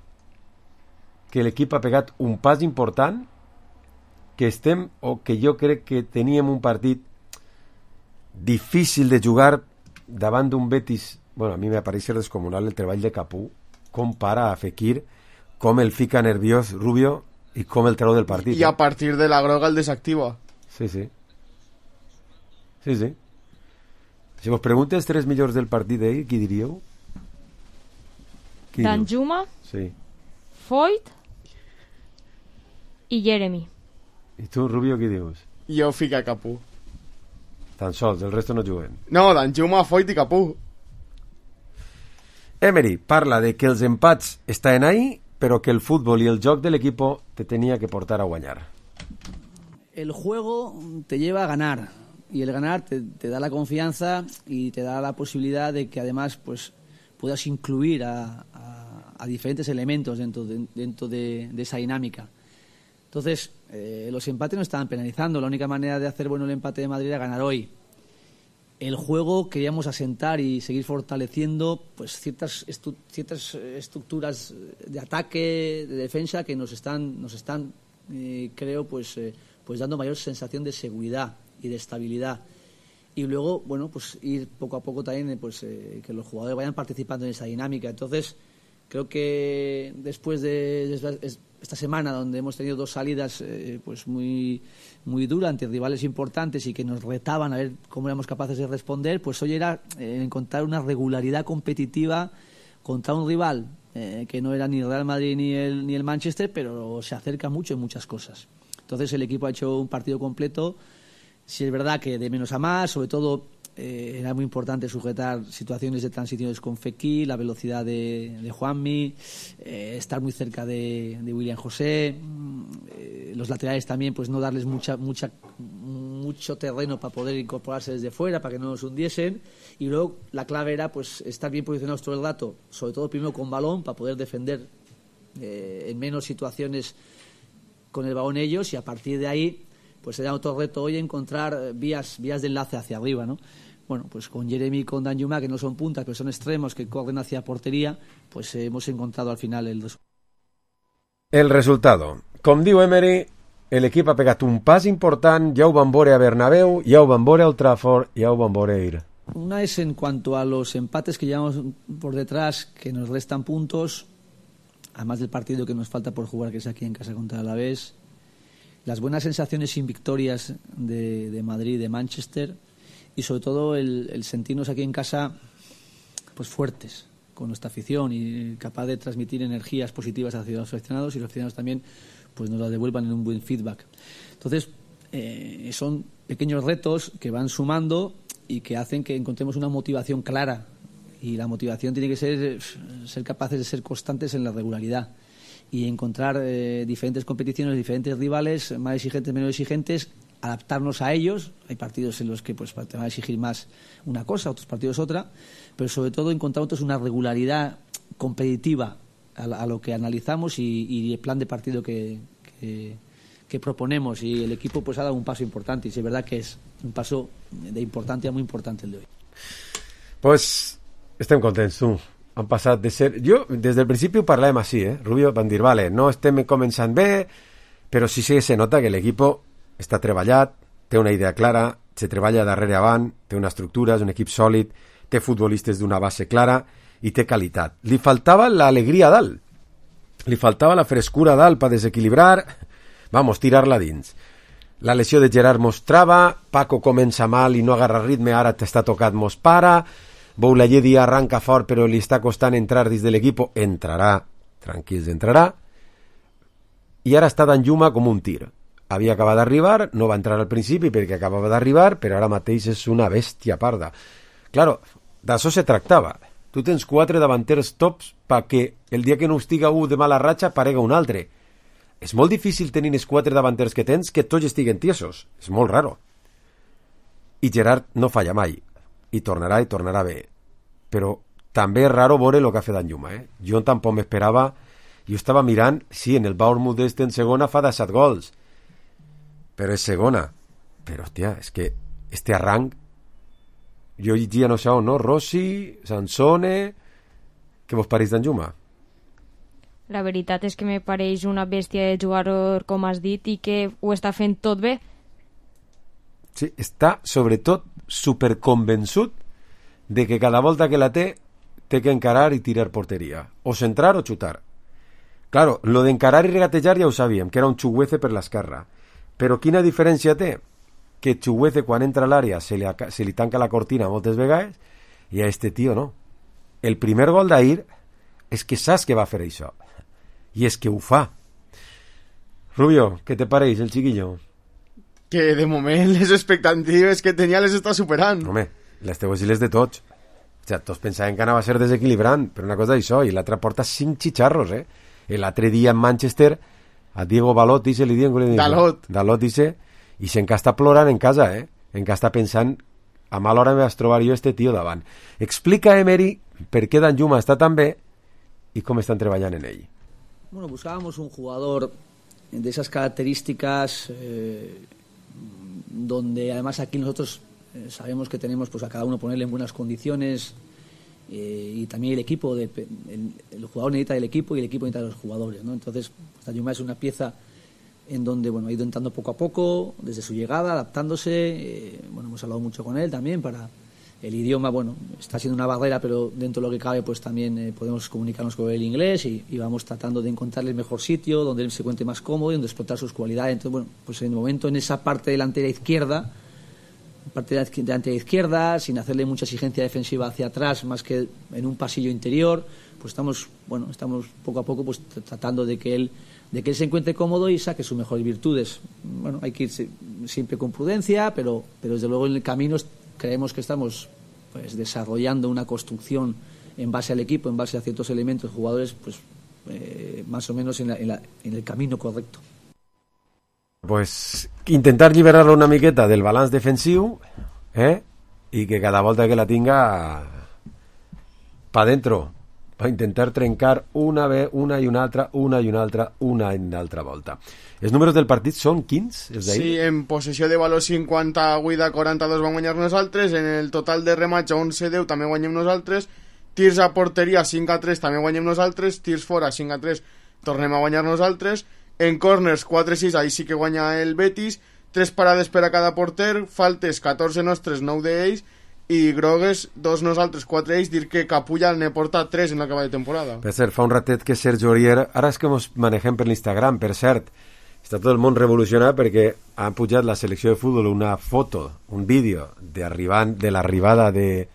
que l'equip ha pegat un pas important, que estem, o que jo crec que teníem un partit difícil de jugar davant d'un Betis. Bueno, a mi m'apareix descomunal el treball de Capú, com para a Fekir, com el fica nerviós Rubio i com el treu del partit. I a partir de la groga el desactiva. Sí, sí. Sí, sí. Si vos preguntes tres millors del partit d'ahir, qui diríeu? Qui Danjuma, sí. Foyt i Jeremy. I tu, Rubio, qui dius? Jo fica Capú. Tan sols, el resto no juguen. No, Danjuma, Foyt i Capú. Emery parla de que els empats estaven ahí, però que el futbol i el joc de l'equipo te tenia que portar a guanyar. El juego te lleva a ganar y el ganar te, te da la confianza y te da la posibilidad de que además pues puedas incluir a, a, a diferentes elementos dentro de, dentro de, de esa dinámica. Entonces, eh, los empates no estaban penalizando. La única manera de hacer bueno el empate de Madrid era ganar hoy. El juego queríamos asentar y seguir fortaleciendo pues ciertas estu ciertas estructuras de ataque, de defensa que nos están nos están eh, creo pues eh, pues dando mayor sensación de seguridad y de estabilidad. Y luego, bueno, pues ir poco a poco también pues eh, que los jugadores vayan participando en esa dinámica. Entonces, creo que después de, de esta semana donde hemos tenido dos salidas eh, pues muy muy duras ante rivales importantes y que nos retaban a ver cómo éramos capaces de responder, pues hoy era eh, encontrar una regularidad competitiva contra un rival eh, que no era ni el Real Madrid ni el, ni el Manchester, pero se acerca mucho en muchas cosas. Entonces el equipo ha hecho un partido completo. Si es verdad que de menos a más, sobre todo eh, era muy importante sujetar situaciones de transiciones con Fekir, la velocidad de, de Juanmi, eh, estar muy cerca de, de William José, eh, los laterales también, pues no darles mucha, mucha, mucho terreno para poder incorporarse desde fuera, para que no nos hundiesen. Y luego la clave era pues estar bien posicionados todo el rato, sobre todo primero con balón, para poder defender eh, en menos situaciones con el balón ellos, y a partir de ahí pues era otro reto hoy encontrar vías vías de enlace hacia arriba, ¿no? Bueno, pues con Jeremy y con Danjuma, que no son puntas, pero son extremos que corren hacia portería, pues eh, hemos encontrado al final el resultado. El resultado. Com diu Emery, el equip ha pegat un pas important, ja ho van veure a Bernabéu, ja ho van veure a Old Trafford, ja ho van veure a ir. Una es en cuanto a los empates que llevamos por detrás, que nos restan puntos, además del partido que nos falta por jugar, que es aquí en casa contra el Alavés. Las buenas sensaciones sin victorias de, de Madrid y de Manchester, y sobre todo el, el sentirnos aquí en casa pues fuertes con nuestra afición y capaz de transmitir energías positivas hacia los aficionados, y los aficionados también pues nos la devuelvan en un buen feedback. Entonces eh, son pequeños retos que van sumando y que hacen que encontremos una motivación clara, y la motivación tiene que ser ser capaces de ser constantes en la regularidad y encontrar eh, diferentes competiciones, diferentes rivales, más exigentes, menos exigentes, adaptarnos a ellos. Hay partidos en los que pues te van a exigir más una cosa, otros partidos otra, pero sobre todo encontrar otros una regularidad competitiva a, a lo que analizamos y, y el plan de partido que, que, que proponemos, y el equipo pues ha dado un paso importante, y es verdad que es un paso de importancia muy importante el de hoy. Pues estem contents, tu. Han passat de ser... Jo, des del principi ho parlàvem així, eh? Rubio van dir, vale, no estem començant bé, però sí que se nota que l'equip està treballat, té una idea clara, se treballa darrere avant, té una estructura, és un equip sòlid, té futbolistes d'una base clara i té qualitat. Li faltava l'alegria a dalt, li faltava la frescura a dalt per desequilibrar, vamos, tirar-la dins. La lesió de Gerard mostrava, Paco comença mal i no agarra ritme, ara t'està tocat mos para... Boulaye arranca fort però li està costant entrar dins de l'equip, entrarà, tranquils, entrarà, i ara està Danjuma com un tir. Havia acabat d'arribar, no va entrar al principi perquè acabava d'arribar, però ara mateix és una bèstia parda. Claro, d'això se tractava. Tu tens quatre davanters tops perquè el dia que no estiga un de mala ratxa aparega un altre. És molt difícil tenir els quatre davanters que tens que tots estiguen tiesos. És molt raro. I Gerard no falla mai. I tornarà i tornarà bé, però també és raro veure el que ha fet Danjuma, eh? Jo tampoc m'esperava, jo estava mirant, sí, en el Bournemouth d'este en segona fa disset gols, però és segona, però hòstia, és que este arranc, jo llegia no sé on, no? Rossi, Sansone, què vos pareix Danjuma? La veritat és que me pareix una bèstia de jugador, com has dit, i que ho està fent tot bé. Sí, està sobretot superconvençut de que cada volta que la té té que encarar i tirar porteria, o centrar o xutar. Claro, lo d'encarar i regatejar ja ho sabíem, que era un Chuguece per l'esquerra. Però quina diferència té? Que Chuguece, quan entra a l'àrea, se li, se li tanca la cortina moltes vegades, i a este tio no. El primer gol d'ahir és que saps que va fer això. I és que ho fa. Rubio, què te pareix, el chiquillo? Que de moment les expectatives que tenia les està superant. Home, les teues i les de tots. O sigui, tots pensaven que anava a ser desequilibrant, però una cosa d'això, i l'altre porta cinc xicharros, eh? L'altre dia en Manchester, a Diego Dalot, dice, li diuen... Dalot. Dalot, dice, i se'n que està plorant en casa, eh? En que està pensant, a mal hora me vas trobar jo este tio davant. Explica, Emery, per què Danjuma està tan bé i com estan treballant en ell. Bueno, buscábamos un jugador de esas características eh, donde además aquí nosotros eh, sabemos que tenemos pues a cada uno ponerle en buenas condiciones eh, y también el equipo, de, el, el jugador necesita del equipo y el equipo necesita de los jugadores, ¿no? Entonces, Danjuma es una pieza en donde bueno ha ido entrando poco a poco desde su llegada, adaptándose, eh, bueno hemos hablado mucho con él también para el idioma, bueno, está siendo una barrera, pero dentro de lo que cabe pues también eh, podemos comunicarnos con el inglés y, y vamos tratando de encontrarle el mejor sitio donde él se encuentre más cómodo y donde explotar sus cualidades. Entonces, bueno, pues en el momento en esa parte delantera izquierda, parte delantera izquierda, sin hacerle mucha exigencia defensiva hacia atrás, más que en un pasillo interior, pues estamos, bueno, estamos poco a poco pues tratando de que él de que él se encuentre cómodo y saque sus mejores virtudes. Bueno, hay que ir siempre con prudencia, pero, pero desde luego en el camino creemos que estamos pues desarrollando una construcción en base al equipo, en base a ciertos elementos, jugadores, pues eh, más o menos en, la, en, la, en el camino correcto. Pues intentar liberar-lo una miqueta del balanç defensiu, eh? I que cada volta que la tinga pa dentro, per intentar trencar una, una i una altra, una i una altra, una i una altra volta. Els números del partit són quins? Els sí, en possessió de valor cinquanta, Guida quaranta-dos van guanyar nosaltres, en el total de remats onze deu també guanyem nosaltres, tirs a porteria cinc a tres també guanyem nosaltres, tirs fora cinc a tres tornem a guanyar nosaltres, en corners quatre a sis, ahí sí que guanya el Betis, tres parades per a cada porter, faltes catorze nostres, nou d'ells, i grogues, dos nosaltres, quatre ells, dir que Capulla ne porta tres en l'acabada de temporada. Per cert, fa un ratet que Sergio Aurier, ara és que ens manegem per l'Instagram, per cert, està tot el món revolucionat perquè han pujat la selecció de futbol una foto, un vídeo de, de l'arribada de,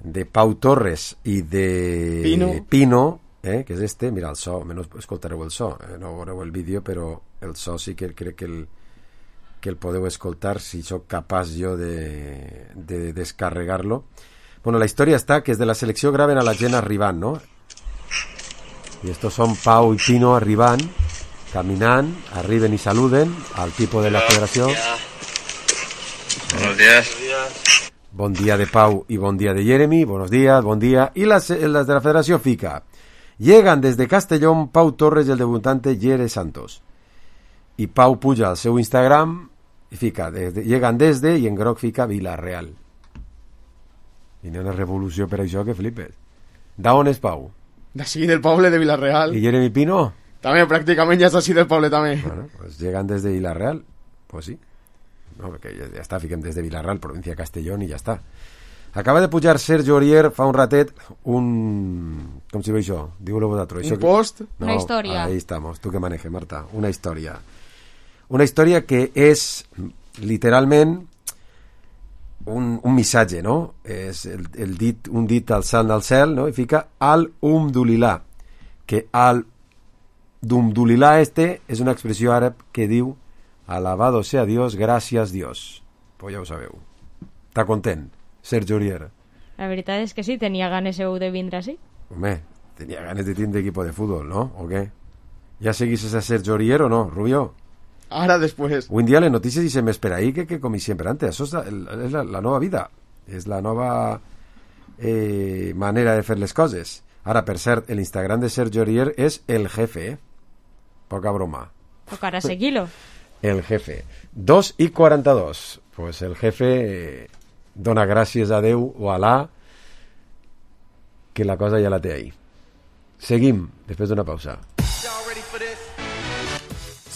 de Pau Torres i de Pino, Pino eh, que és este, mira el so, menys escoltareu el so, eh, no veureu el vídeo, però el so sí que crec que el que el podeu escoltar si sóc capaç jo de, de descarregar-lo. Bueno, la història està que és de la selecció graven a la gent arribant, no? I estos són Pau i Pino arribant, caminant, arriben i saluden al tipo de la federació. Buenos días. Bon dia de Pau y bon dia de Jeremy, buenos días, bon dia. Y las, las de la federació fica. Llegan desde Castellón Pau Torres y el debutante Jere Santos. Y Pau puja al seu Instagram i fica, desde, llegan desde, i en groc fica Villarreal. I n'hi ha una revolució per això que flipes. D'on és Pau? D'ací, del poble de Villarreal. I Jeremy Pino? També, pràcticament ja és així del poble, també. Bueno, pues llegan desde Villarreal. Pues sí. No, perquè ja, ja està, fiquem des de Villarreal, província de Castellón, i ja està. Acaba de pujar Sergio Aurier fa un ratet un... com si veig això? Digue-lo vosaltres. Un post? No, una història. Ahí estamos, tu que manejes, Marta. Una història. Una història que és literalment un, un missatge, no? És el, el dit, un dit alçant al cel, no? I fica al-umdulillah, que al-umdulillah este és una expressió àrab que diu alabado sea Dios, gracias Dios. Pues ja ho sabeu. Està content, Sergio Aurier? La veritat és que sí, tenia ganes seu de vindre així. Home, tenia ganes de tindre equipo de fútbol, ¿no? ¿O qué? ¿Ya seguís a Sergio Aurier o no, Rubio? Ahora después. Un día le noticias y se me espera ahí que, que comí siempre antes. Eso es la, es la, la nova vida. És la nova eh, manera de fer les coses. Ara, per cert, l'Instagram de Sergio Aurier és el jefe, eh? Poca broma. Tocarà seguir-lo. El jefe. dos i quaranta-dos. Pues el jefe eh, dona gràcies a Déu o a Alà que la cosa ja la té ahí. Seguim, després d'una pausa.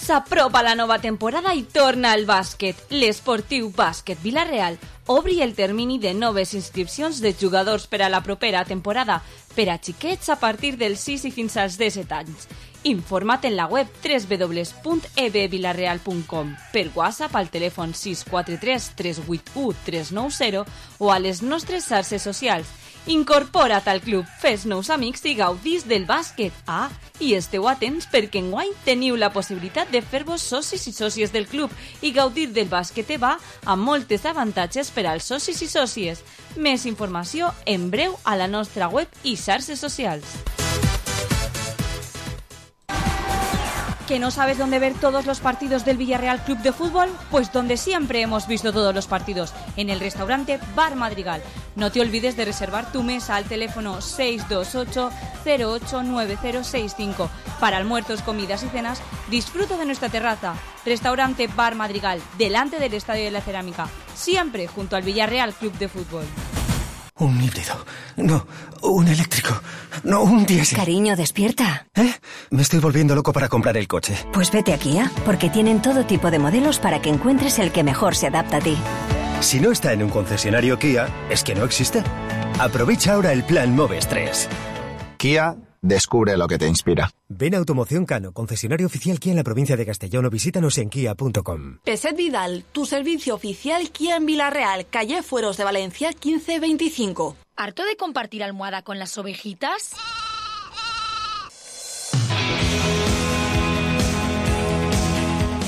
S'apropa la nova temporada i torna al bàsquet. L'Esportiu Bàsquet Vila-real obri el termini de noves inscripcions de jugadors per a la propera temporada per a xiquets a partir dels sis i fins als disset anys. Informa't en la web w w w punt e b vilareal punt com, per WhatsApp al telèfon sis quatre tres tres vuit u tres nou zero o a les nostres xarxes socials. Incorpora't al club, fes nous amics i gaudís del bàsquet. Ah, i esteu atents perquè enguany teniu la possibilitat de fer-vos socis i sòcies del club i gaudir del bàsquet EVA amb moltes avantatges per als socis i sòcies. Més informació en breu a la nostra web i xarxes socials. ¿Que no sabes dónde ver todos los partidos del Villarreal Club de Fútbol? Pues donde siempre hemos visto todos los partidos, en el restaurante Bar Madrigal. No te olvides de reservar tu mesa al teléfono seis dos ocho cero ocho nueve cero seis cinco. Para almuerzos, comidas y cenas, disfruta de nuestra terraza. Restaurante Bar Madrigal, delante del Estadio de la Cerámica, siempre junto al Villarreal Club de Fútbol. Un híbrido. No, un eléctrico. No, un diésel. Cariño, despierta. ¿Eh? Me estoy volviendo loco para comprar el coche. Pues vete a Kia, porque tienen todo tipo de modelos para que encuentres el que mejor se adapta a ti. Si no está en un concesionario Kia, es que no existe. Aprovecha ahora el plan Moves tres. Kia, descubre lo que te inspira. Ven a Automoción Cano, concesionario oficial Kia en la provincia de Castellón, o visítanos en kia punto com. Peset Vidal, tu servicio oficial Kia en Villarreal, calle Fueros de Valencia quince veinticinco. ¿Harto de compartir almohada con las ovejitas?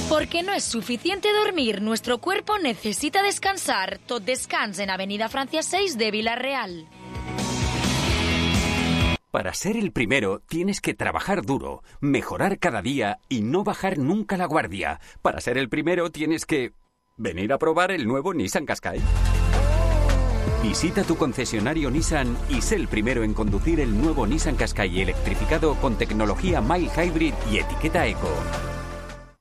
Porque no es suficiente dormir, nuestro cuerpo necesita descansar. Tot descans en Avenida Francia seis de Villarreal. Para ser el primero tienes que trabajar duro, mejorar cada día y no bajar nunca la guardia. Para ser el primero tienes que venir a probar el nuevo Nissan Qashqai. Visita tu concesionario Nissan y sé el primero en conducir el nuevo Nissan Qashqai electrificado con tecnología Mild Hybrid y etiqueta Eco.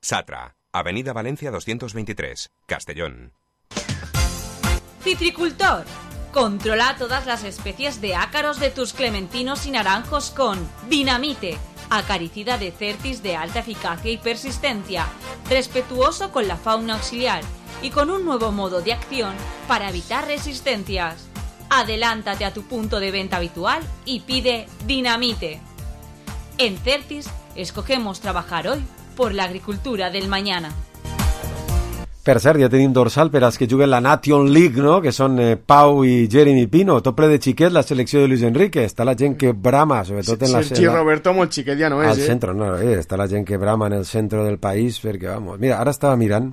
Satra, Avenida Valencia doscientos veintitrés, Castellón. Citricultor. Controla todas las especies de ácaros de tus clementinos y naranjos con Dinamite, acaricida de Certis de alta eficacia y persistencia, respetuoso con la fauna auxiliar y con un nuevo modo de acción para evitar resistencias. Adelántate a tu punto de venta habitual y pide Dinamite. En Certis escogemos trabajar hoy por la agricultura del mañana. Per cert, ja tenim dorsal per als que juguen la Nation League, no? Que són eh, Pau i Jeremy Pino. Tot ple de xiquet, la selecció de Luis Enrique. Està la gent que brama, sobretot en la... Sergi Roberto molt xiquet ja no és, al eh? centro, no, eh? Està la gent que brama en el centre del país, perquè, vamos... Mira, ara estava mirant...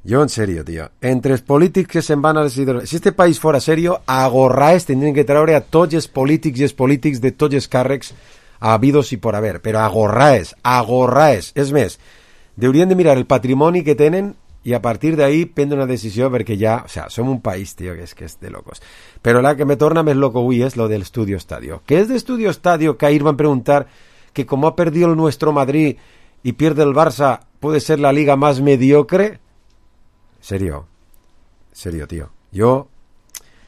Jo, en serio, tio. Entre els polítics que se'n van a les hidroelèctriques... Si este país fora serio, a gorraes tindrien que treure a tots els polítics i els polítics de tots els càrrecs habidos i por haver. Però a gorraes, a gorraes. És més, haurien de mirar el patrimoni que tenen i a partir d'ahí prendre una decisió perquè ja, o sea, som un país, tío, que és, que és de locos. Però la que me torna més loco avui és lo del Estudio Estadio. ¿Qué es de Estudio Estadio? Que ahí van a preguntar que como ha perdido el nuestro Madrid y pierde el Barça, ¿puede ser la liga más mediocre? Serio, serio, tío. Yo,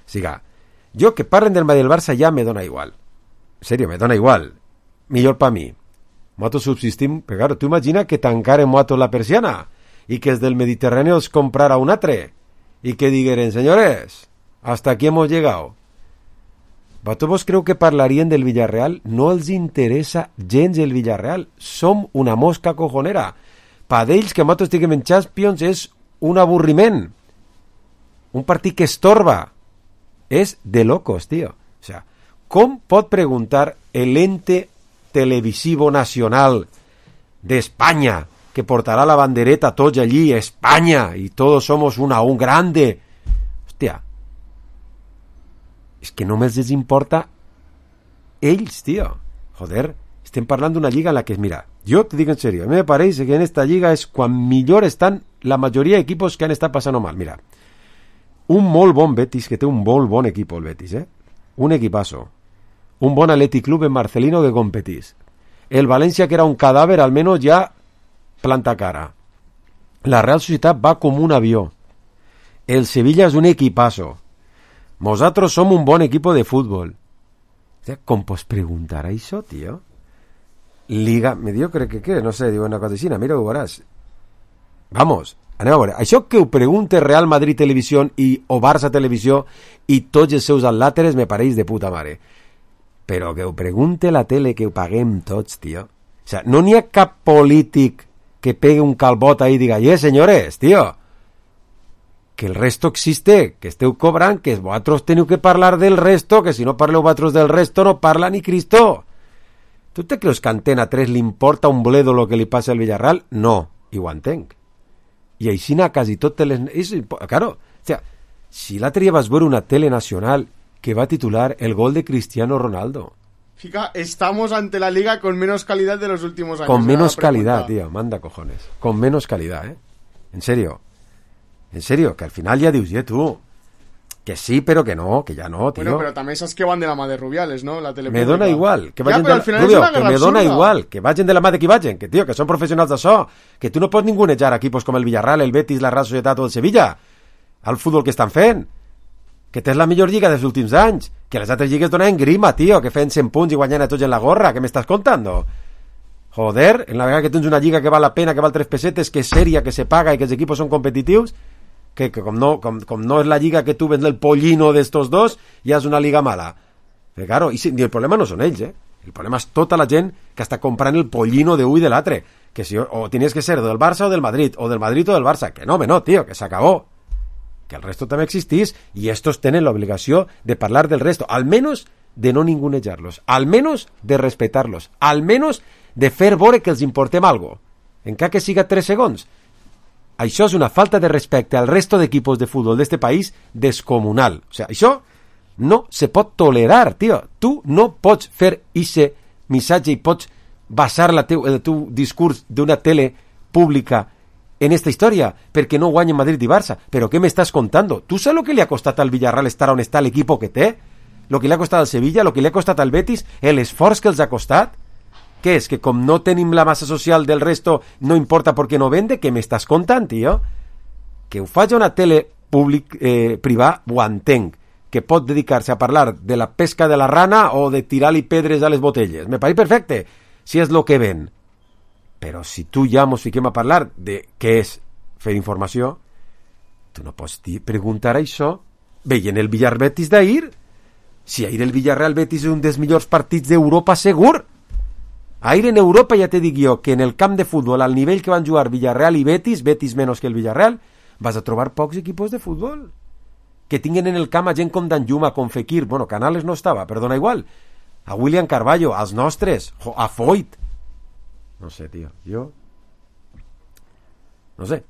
siga, yo que parlen del Madrid y del Barça ja me dona igual. Serio, me dona igual. Millor pa mi. Nosaltres subsistim, però claro, tu imagina que tancaren nosaltres la persiana y que es del Mediterráneo os comprara un atre y que digueren, señores, hasta aquí hemos llegado. ¿Vosotros creu que parlarien del Villarreal? No els interesa gens el Villarreal. Som una mosca cojonera. Pa d'ells que nosaltres estiguem en Champions és un avorriment. Un partit que estorba. És de locos, tío. O sea, com pot preguntar el ente televisivo nacional de España que portará la bandereta tots allí, España, y todos somos una, un grande? Hòstia, és que només els importa ells, tío. Joder, estem parlant d'una lliga en la que, mira, yo te digo en serio, a mí me parece que en esta liga es quan millor están la mayoría de equipos que han estado pasando mal. Mira, un molt bon Betis, que té un molt bon equipo el Betis, eh? Un equipazo. Un bon Athletic Club en Marcelino que competís. El Valencia, que era un cadáver, al menos ya planta cara. La Real Sociedad va como un avión. El Sevilla es un equipazo. Nosotros somos un bon equipo de fútbol. O sea, com pots preguntar a això, tío? Liga mediocre que què? No sé, diu una cosina, mira, ho veuràs. Vamos, anem a veure. Això que ho pregunte Real Madrid Televisió i o Barça Televisió i tots els seus atlàteres me pareix de puta mare. Però que ho pregunte la tele que ho paguem tots, tío. sea, no n'hi ha cap polític que pegue un calbot ahí y diga, eh, señores, tío, que el resto existe, que esteu cobrant, que vosaltres teniu que parlar del resto, que si no parleu vosaltres del resto no parla ni Cristo. ¿Tú te creus que a Antena tres li importa un bledo lo que li passa al Villarreal? No, i ho entenc. I així n'ha quasi totes les... És, claro, o sea, si l'altre dia vas veure una tele nacional que va titular el gol de Cristiano Ronaldo. Fica, estamos ante la liga con menos calidad de los últimos años. Con menos calidad, tío, manda cojones. Con menos calidad, ¿eh? En serio. En serio, que al final ya dius, yeah, tú, que sí, pero que no, que ya no, tío. Bueno, pero también esas que van de la mà de Rubiales, ¿no? La tele me dona igual, que ya, vagin pero de al final Rubio, es una que me guerra dona absurda. igual, que vagin de la mà de qui vagin, que tío, que són professionals d'això, que tu no pots ningunejar equipos com el Villarreal, el Betis, la Real Societat o el Sevilla, al futbol que estan fent, que tens la millor lliga dels últims anys, que les altres lligues donen grima, tío, que feien cent punts i guanyant a tots en la gorra, què m'estàs contando? Joder, en la vegada que tens una lliga que val la pena, que val tres pesetes, que és sèria, que se paga i que els equipos són competitius, que, que com, no, com, com no és la lliga que tu vens el pollino d'estos dos, ja és una liga mala. Però claro, i, si, i el problema no són ells, eh? El problema és tota la gent que està comprant el pollino de un i de l'altre, que si o tenies que ser del Barça o del Madrid, o del Madrid o del Barça, que no, home, no, tío, que s'acabó. Que el resto també existís i estos tenen l'obligació de parlar del resto, al menos de no ningunejar-los, al menos de respetar-los, al menos de fer veure que els importem algo, encara que siga tres segons. Això és una falta de respecte al resto d'equipos de futbol d'este país descomunal. O sea, això no se pot tolerar, tio. Tu no pots fer ese missatge i pots basar la teu, el teu discurs d'una tele pública en esta història, perquè no guanyen Madrid i Barça. Però què m'estàs contando? Tu saps lo que li ha costat al Villarreal estar on està l'equip que té? Lo que li ha costat al Sevilla, lo que li ha costat al Betis, l'esforç que els ha costat? Què és? Que com no tenim la massa social del resto no importa perquè no vende? Què m'estàs contant, tio? Que ho faci una tele públic, eh, privada, ho entenc. Que pot dedicar-se a parlar de la pesca de la rana o de tirar-li pedres a les botelles. Me pareix perfecte, si és lo que ven. Però si tu ja mos fiquem a parlar de què és fer informació, tu no pots dir, preguntar això veient el Villar-Betis d'ahir. Si ahir el Villarreal-Betis és un dels millors partits d'Europa segur. Ahir en Europa ja te dic jo que en el camp de futbol, al nivell que van jugar Villarreal i Betis, Betis menys que el Villarreal, vas a trobar pocs equipos de futbol que tinguen en el camp a gent com Danjuma, com Fekir, bueno, Canales no estava, però dona igual, a William Carballo, als nostres, a Foyt. No sé, tio, jo no sé.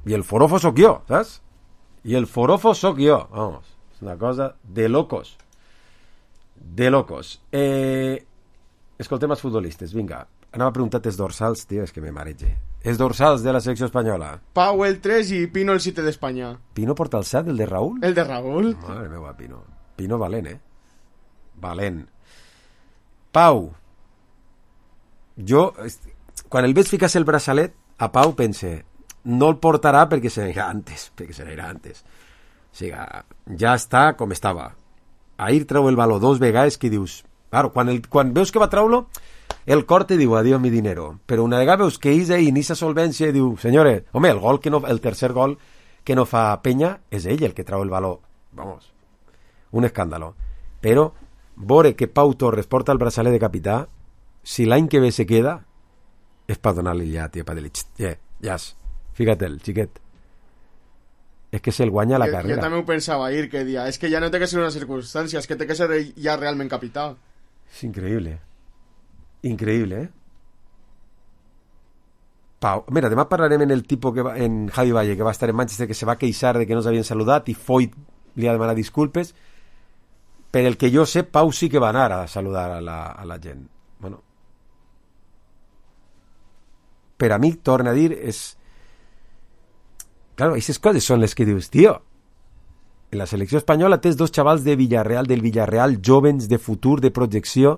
I el forofo sóc jo, saps? I el forofo sóc jo, vamos, és una cosa de locos, de locos. Eh... Escoltem els futbolistes, vinga. Anava a preguntar els dorsals, tio, és que me marege. Els dorsals de la selecció espanyola. Pau el tres i Pino el siete d'Espanya. ¿Pino porta el set, el de Raúl? El de Raúl. Madre meva, Pino. Pino valent, eh? Valent. Pau. Jo, quan el veig ficar-se el braçalet, a Pau pense, no el portarà perquè se n'irà antes, perquè se n'irà antes. O sigui, ja està com estava. Ahir treu el baló dos vegades que dius... Claro, quan, el, quan veus que va treure-lo, el cor te diu adiós mi dinero, però una vegada veus que és ahí en esa solvència i diu, senyores, home, el gol que no, el tercer gol que no fa Peña és ell el que treu el baló, vamos, un escàndalo. Però veure que Pau Torres porta el braçalet de capità, si l'any que ve se queda, és per donar-li ja, tio, per dir-li, ja, ja, fíjate el xiquet. És que se'l guanya la jo, carrera. Jo també ho pensava ahir, que dia, és que ja no té que ser una circumstància, és que té que ser ja realment capità. És increïble. Increïble, eh? Pau. Mira, demà parlarem en el tipus que va, en Javi Valle, que va estar en Manchester, que se va queixar de que no s'havien saludat i Foyt li ha demanat disculpes. Per el que jo sé, Pau sí que va anar a saludar a la, a la gent. Bueno. Per a mi, torna a dir, és... Claro, aquestes coses són les que dius, tio, en la selecció espanyola tens dos xavals de Villarreal, del Villarreal, jovens, de futur, de projecció,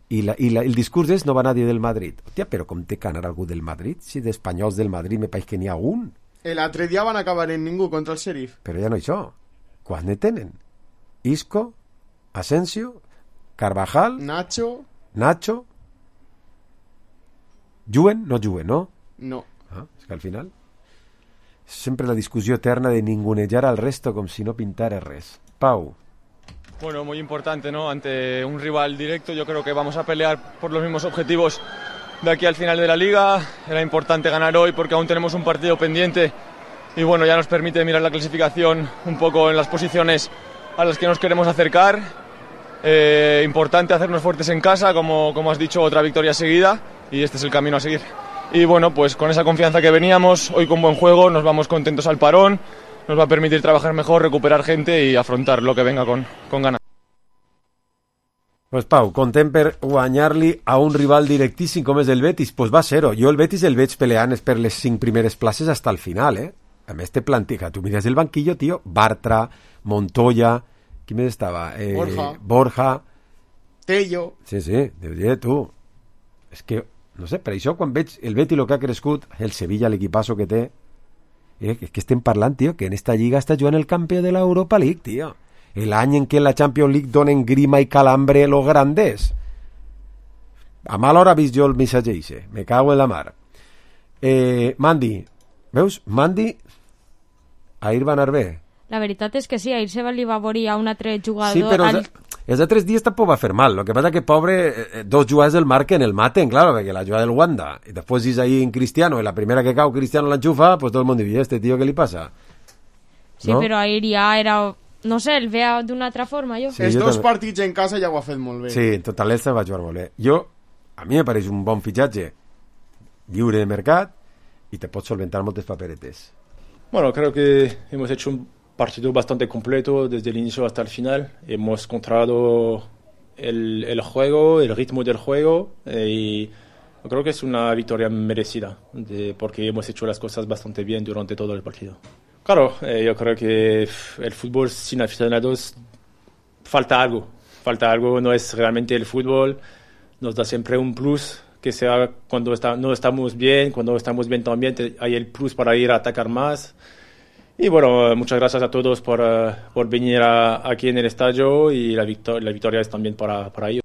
i, la, i la, el discurs és no va nadie del Madrid. Hòstia, però com té que anar algú del Madrid? Si d'espanyols del Madrid me pareix que n'hi ha un. L'altre dia van acabar en ningú contra el Sheriff. Però ja no això. Quants ne tenen? Isco, Asensio, Carvajal, Nacho, Nacho, juguen? No juguen, no? No. Ah, és que al final... Sempre la discussió eterna de ningunejar al resto com si no pintara res. Pau. Bueno, muy importante, ¿no? Ante un rival directo, yo creo que vamos a pelear por los mismos objetivos de aquí al final de la liga. Era importante ganar hoy porque aún tenemos un partido pendiente y bueno, ya nos permite mirar la clasificación un poco en las posiciones a las que nos queremos acercar. Eh, importante hacernos fuertes en casa, como, como has dicho, otra victoria seguida y este es el camino a seguir. Y bueno, pues con esa confianza que veníamos, hoy con buen juego, nos vamos contentos al parón. Nos va a permitir trabajar mejor, recuperar gente y afrontar lo que venga con, con ganas. Pues Pau, content per guanyar-li a un rival directíssim com és el Betis. Pues va ser-ho. Jo el Betis el veig peleant per les cinc primeres places hasta el final, eh? A més té plantilla. Tu mires el banquillo, tio, Bartra, Montoya, qui més estava? Eh, Borja. Borja. Tello. Sí, sí, Déu dir, tu. És que, no sé, per això quan veig el Betis el que ha crescut, el Sevilla, l'equipasso que té, eh, és que estem parlant, tio, que en esta lliga està jugant el campió de l'Europa League, tio. El any en què la Champions League donen grima i calambre los grandes. A mala hora he vist jo el missatge ixe. Me cago en la mar. Eh, Mandy. Veus? Mandy ahir va anar bé. La veritat és que sí, ahir se va li va veure a un altre jugador... Sí, però al... els, els altres dies tampoc va fer mal. Lo que passa que, pobre, eh, dos jugadors el marquen, el maten, claro, perquè la jugada del Wanda. I després és ahí en Cristiano, i la primera que cau Cristiano l'enxufa, pues tot el món diu, este tío, què li passa? Sí, no? Però ahir ja era... No sé, el veia d'una altra forma, jo. Sí, Els dos també. Partits en casa ja ho ha fet molt bé. Sí, en total l'Elsa va jugar molt bé. Jo, a mi me pareix un bon fitxatge lliure de mercat y te pots solventar moltes paperetes. Bueno, creo que hemos hecho un partido bastante completo desde el inicio hasta el final. Hemos controlado el, el juego, el ritmo del juego eh, y creo que es una victoria merecida de, porque hemos hecho las cosas bastante bien durante todo el partido. Claro, eh, yo creo que el fútbol sin aficionados falta algo, falta algo, no es realmente el fútbol, nos da siempre un plus, que sea cuando está, no estamos bien, cuando estamos bien también hay el plus para ir a atacar más. Y bueno, muchas gracias a todos por, uh, por venir a, aquí en el estadio y la, victor la victoria es también para, para ellos.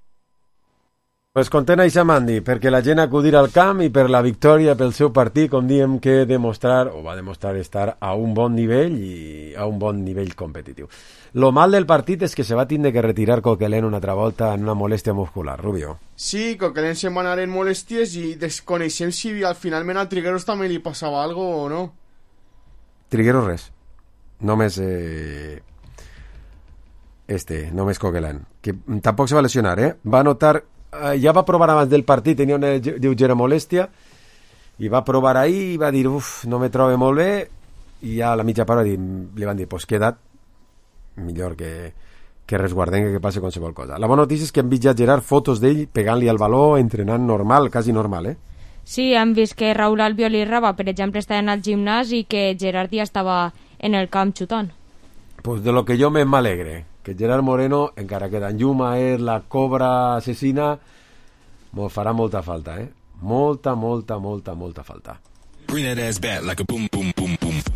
Pues content això, Mandy, perquè la gent acudir al camp i per la victòria pel seu partit, com diem que demostrar, o va demostrar estar a un bon nivell i a un bon nivell competitiu. Lo mal del partit és que se va tindre que retirar Coquelin una altra volta en una molèstia muscular, Rubio. Sí, Coquelin se'n va anar en molèsties i desconeixem si al finalment a Trigueros també li passava algo o no. Trigueros res. Només... Eh... Este, només Coquelin. Que tampoc se va lesionar, eh? Va notar... Uh, ja va provar abans del partit, tenia una lleugera molèstia i va provar ahir i va dir uf, no me trobo molt bé i ja a la mitja part li, li van dir pues queda't, millor que, que resguardem que passi qualsevol cosa. La bona notícia és que hem vist ja Gerard fotos d'ell pegant-li al baló, entrenant normal, quasi normal, eh? Sí, hem vist que Raúl Albiol i Raba, per exemple, estaven al gimnàs i que Gerard ja estava en el camp xutant. Pues de lo que jo m'alegre, que Gerard Moreno, encara que d'Anjuma és la cobra assassina, m'ho farà molta falta, eh? Molta, molta, molta, molta falta.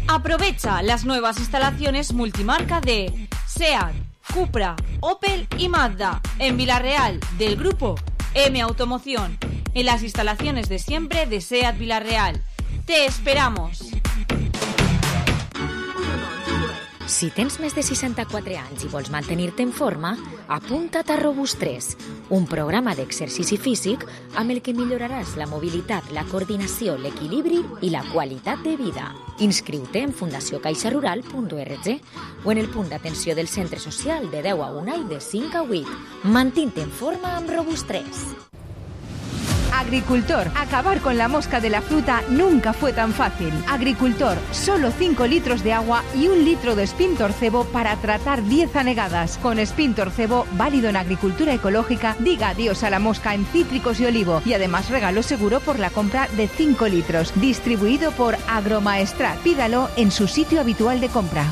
Aprovecha las nuevas instalaciones multimarca de SEAT, Cupra, Opel y Mazda en Villarreal del grupo M Automoción, en las instalaciones de siempre de SEAT Villarreal. ¡Te esperamos! Si tens més de seixanta-quatre anys i vols mantenir-te en forma, apunta't a Robust tres, un programa d'exercici físic amb el que milloraràs la mobilitat, la coordinació, l'equilibri i la qualitat de vida. Inscriu-te en fundació caixa rural punt org o en el punt d'atenció del centre social de deu a una i de cinc a vuit. Mantén-te en forma amb Robust tres. Agricultor, acabar con la mosca de la fruta nunca fue tan fácil. Agricultor, solo cinco litros de agua y un litro de Spintorcebo para tratar diez anegadas. Con Spintorcebo, válido en agricultura ecológica, diga adiós a la mosca en cítricos y olivo y además regalo seguro por la compra de cinco litros. Distribuido por Agromaestrat. Pídalo en su sitio habitual de compra.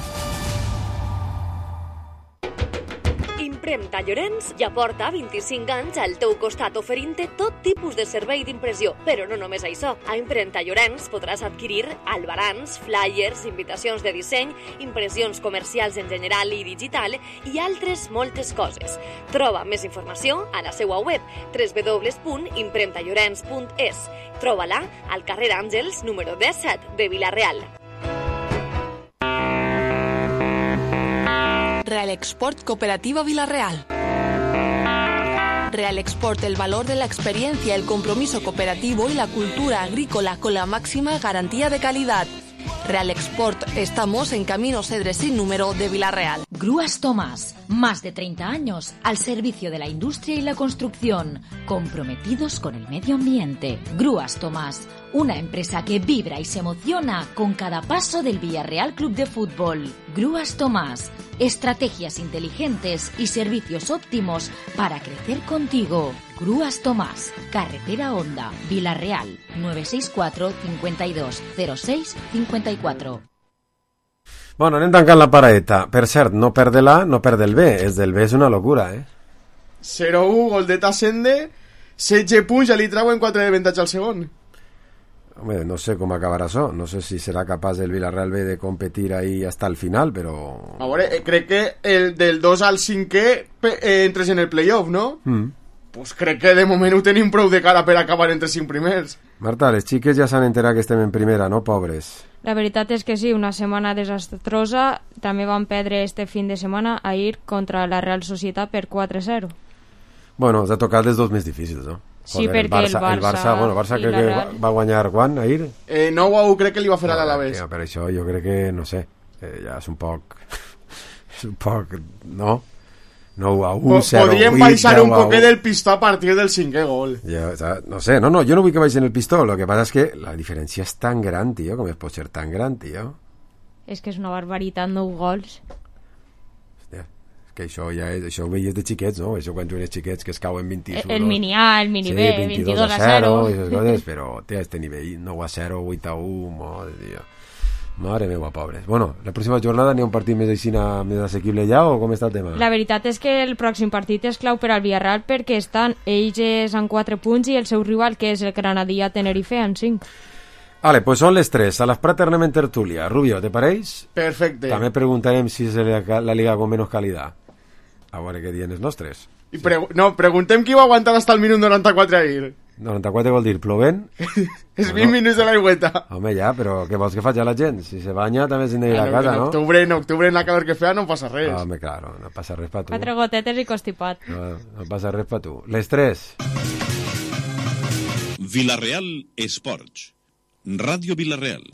Impremta Llorenç ja porta vint-i-cinc anys al teu costat oferint-te tot tipus de servei d'impressió. Però no només això. A Impremta Llorenç podràs adquirir albarans, flyers, invitacions de disseny, impressions comercials en general i digital i altres moltes coses. Troba més informació a la seva web w w w punt impremta llorenç punt es. Troba-la al carrer Àngels número disset de Vila-real. Real Export Cooperativa Villarreal. Real Export, el valor de la experiencia, el compromiso cooperativo y la cultura agrícola con la máxima garantía de calidad. Real Export, estamos en Camino Cedres sin número de Villarreal. Grúas Tomás, más de treinta años al servicio de la industria y la construcción, comprometidos con el medio ambiente. Grúas Tomás, una empresa que vibra y se emociona con cada paso del Villarreal Club de Fútbol. Grúas Tomás, estrategias inteligentes y servicios óptimos para crecer contigo. Grúas Tomás, Carretera Honda, Villarreal, nueve seis cuatro, cincuenta y dos, cero seis, cincuenta y cuatro. Bueno, anem tancant la paraeta. Per cert, no perde l'A, no perde el B. És del B és una locura, eh? zero u, gol de Tassende, setze punts, ja li trauen quatre d'avantatge al segon. Home, no sé com acabarà això. No sé si serà capaç el Villarreal B de competir ahí hasta el final, però... A veure, eh, crec que el del dos al cinquè eh, entres en el playoff, no? Mm. Pues crec que de moment ho tenim prou de cara per acabar entre cinc primers. Marta, les xiques ja s'han enterat que estem en primera, no, pobres? La veritat és que sí, una setmana desastrosa. També van perdre este fin de setmana ahir contra la Real Societat per quatre a zero. Bueno, ens ha tocat els dos més difícils, no? Sí, Joder, perquè el Barça, el Barça, bueno, el Barça crec que va, va guanyar quan, ahir? Eh, nou a u crec que li va fer a l'Alavés. No, per això jo crec que, no sé, eh, ja és un poc... és un poc... no? nou a u, zero a vuit... Podríem baixar un poquet del pistó a partir del cinquè gol. Ja, o sea, no sé, no, no, jo no vull que baixen el pistó, lo que passa és que la diferència és tan gran, tio, com es pot ser tan gran, tio? És que és una barbaritat, nou gols. Hòstia, és que això ja és, això ho veies de xiquets, no? Això quan tu eres xiquets que es cauen vint-i-dos... El mini A, el mini B, sí, veintidós a zero... i esas coses, però té este nivell, nou a zero, vuit a u, madre, tio. Mare meva, pobres. Bueno, la pròxima jornada n'hi ha un partit més així, més assequible ja, o com està el tema? La veritat és que el pròxim partit és clau per al Villarreal perquè estan ells amb quatre punts i el seu rival, que és el Granadilla Tenerife, en cinc. Vale, pues son les tres. A las praternem en tertulia. Rubio, ¿te pareix? Perfecte. També preguntarem si és la, la liga con menos calidad. A veure què diuen els nostres. I pregu no, preguntem qui va aguantar hasta el minut noranta-quatre ahir. noranta-quatre vol dir plovent? És vint no. minuts de l'aigüeta. Home, ja, però què vols que faci la gent? Si se banya també s'han d'ir a casa, no? En octubre, en octubre, en la calor que feia, no passa res. Home, claro, no passa res per tu. Quatre gotetes i constipat. No, no passa res per tu. Les tres. Villarreal Esports. Ràdio Villarreal.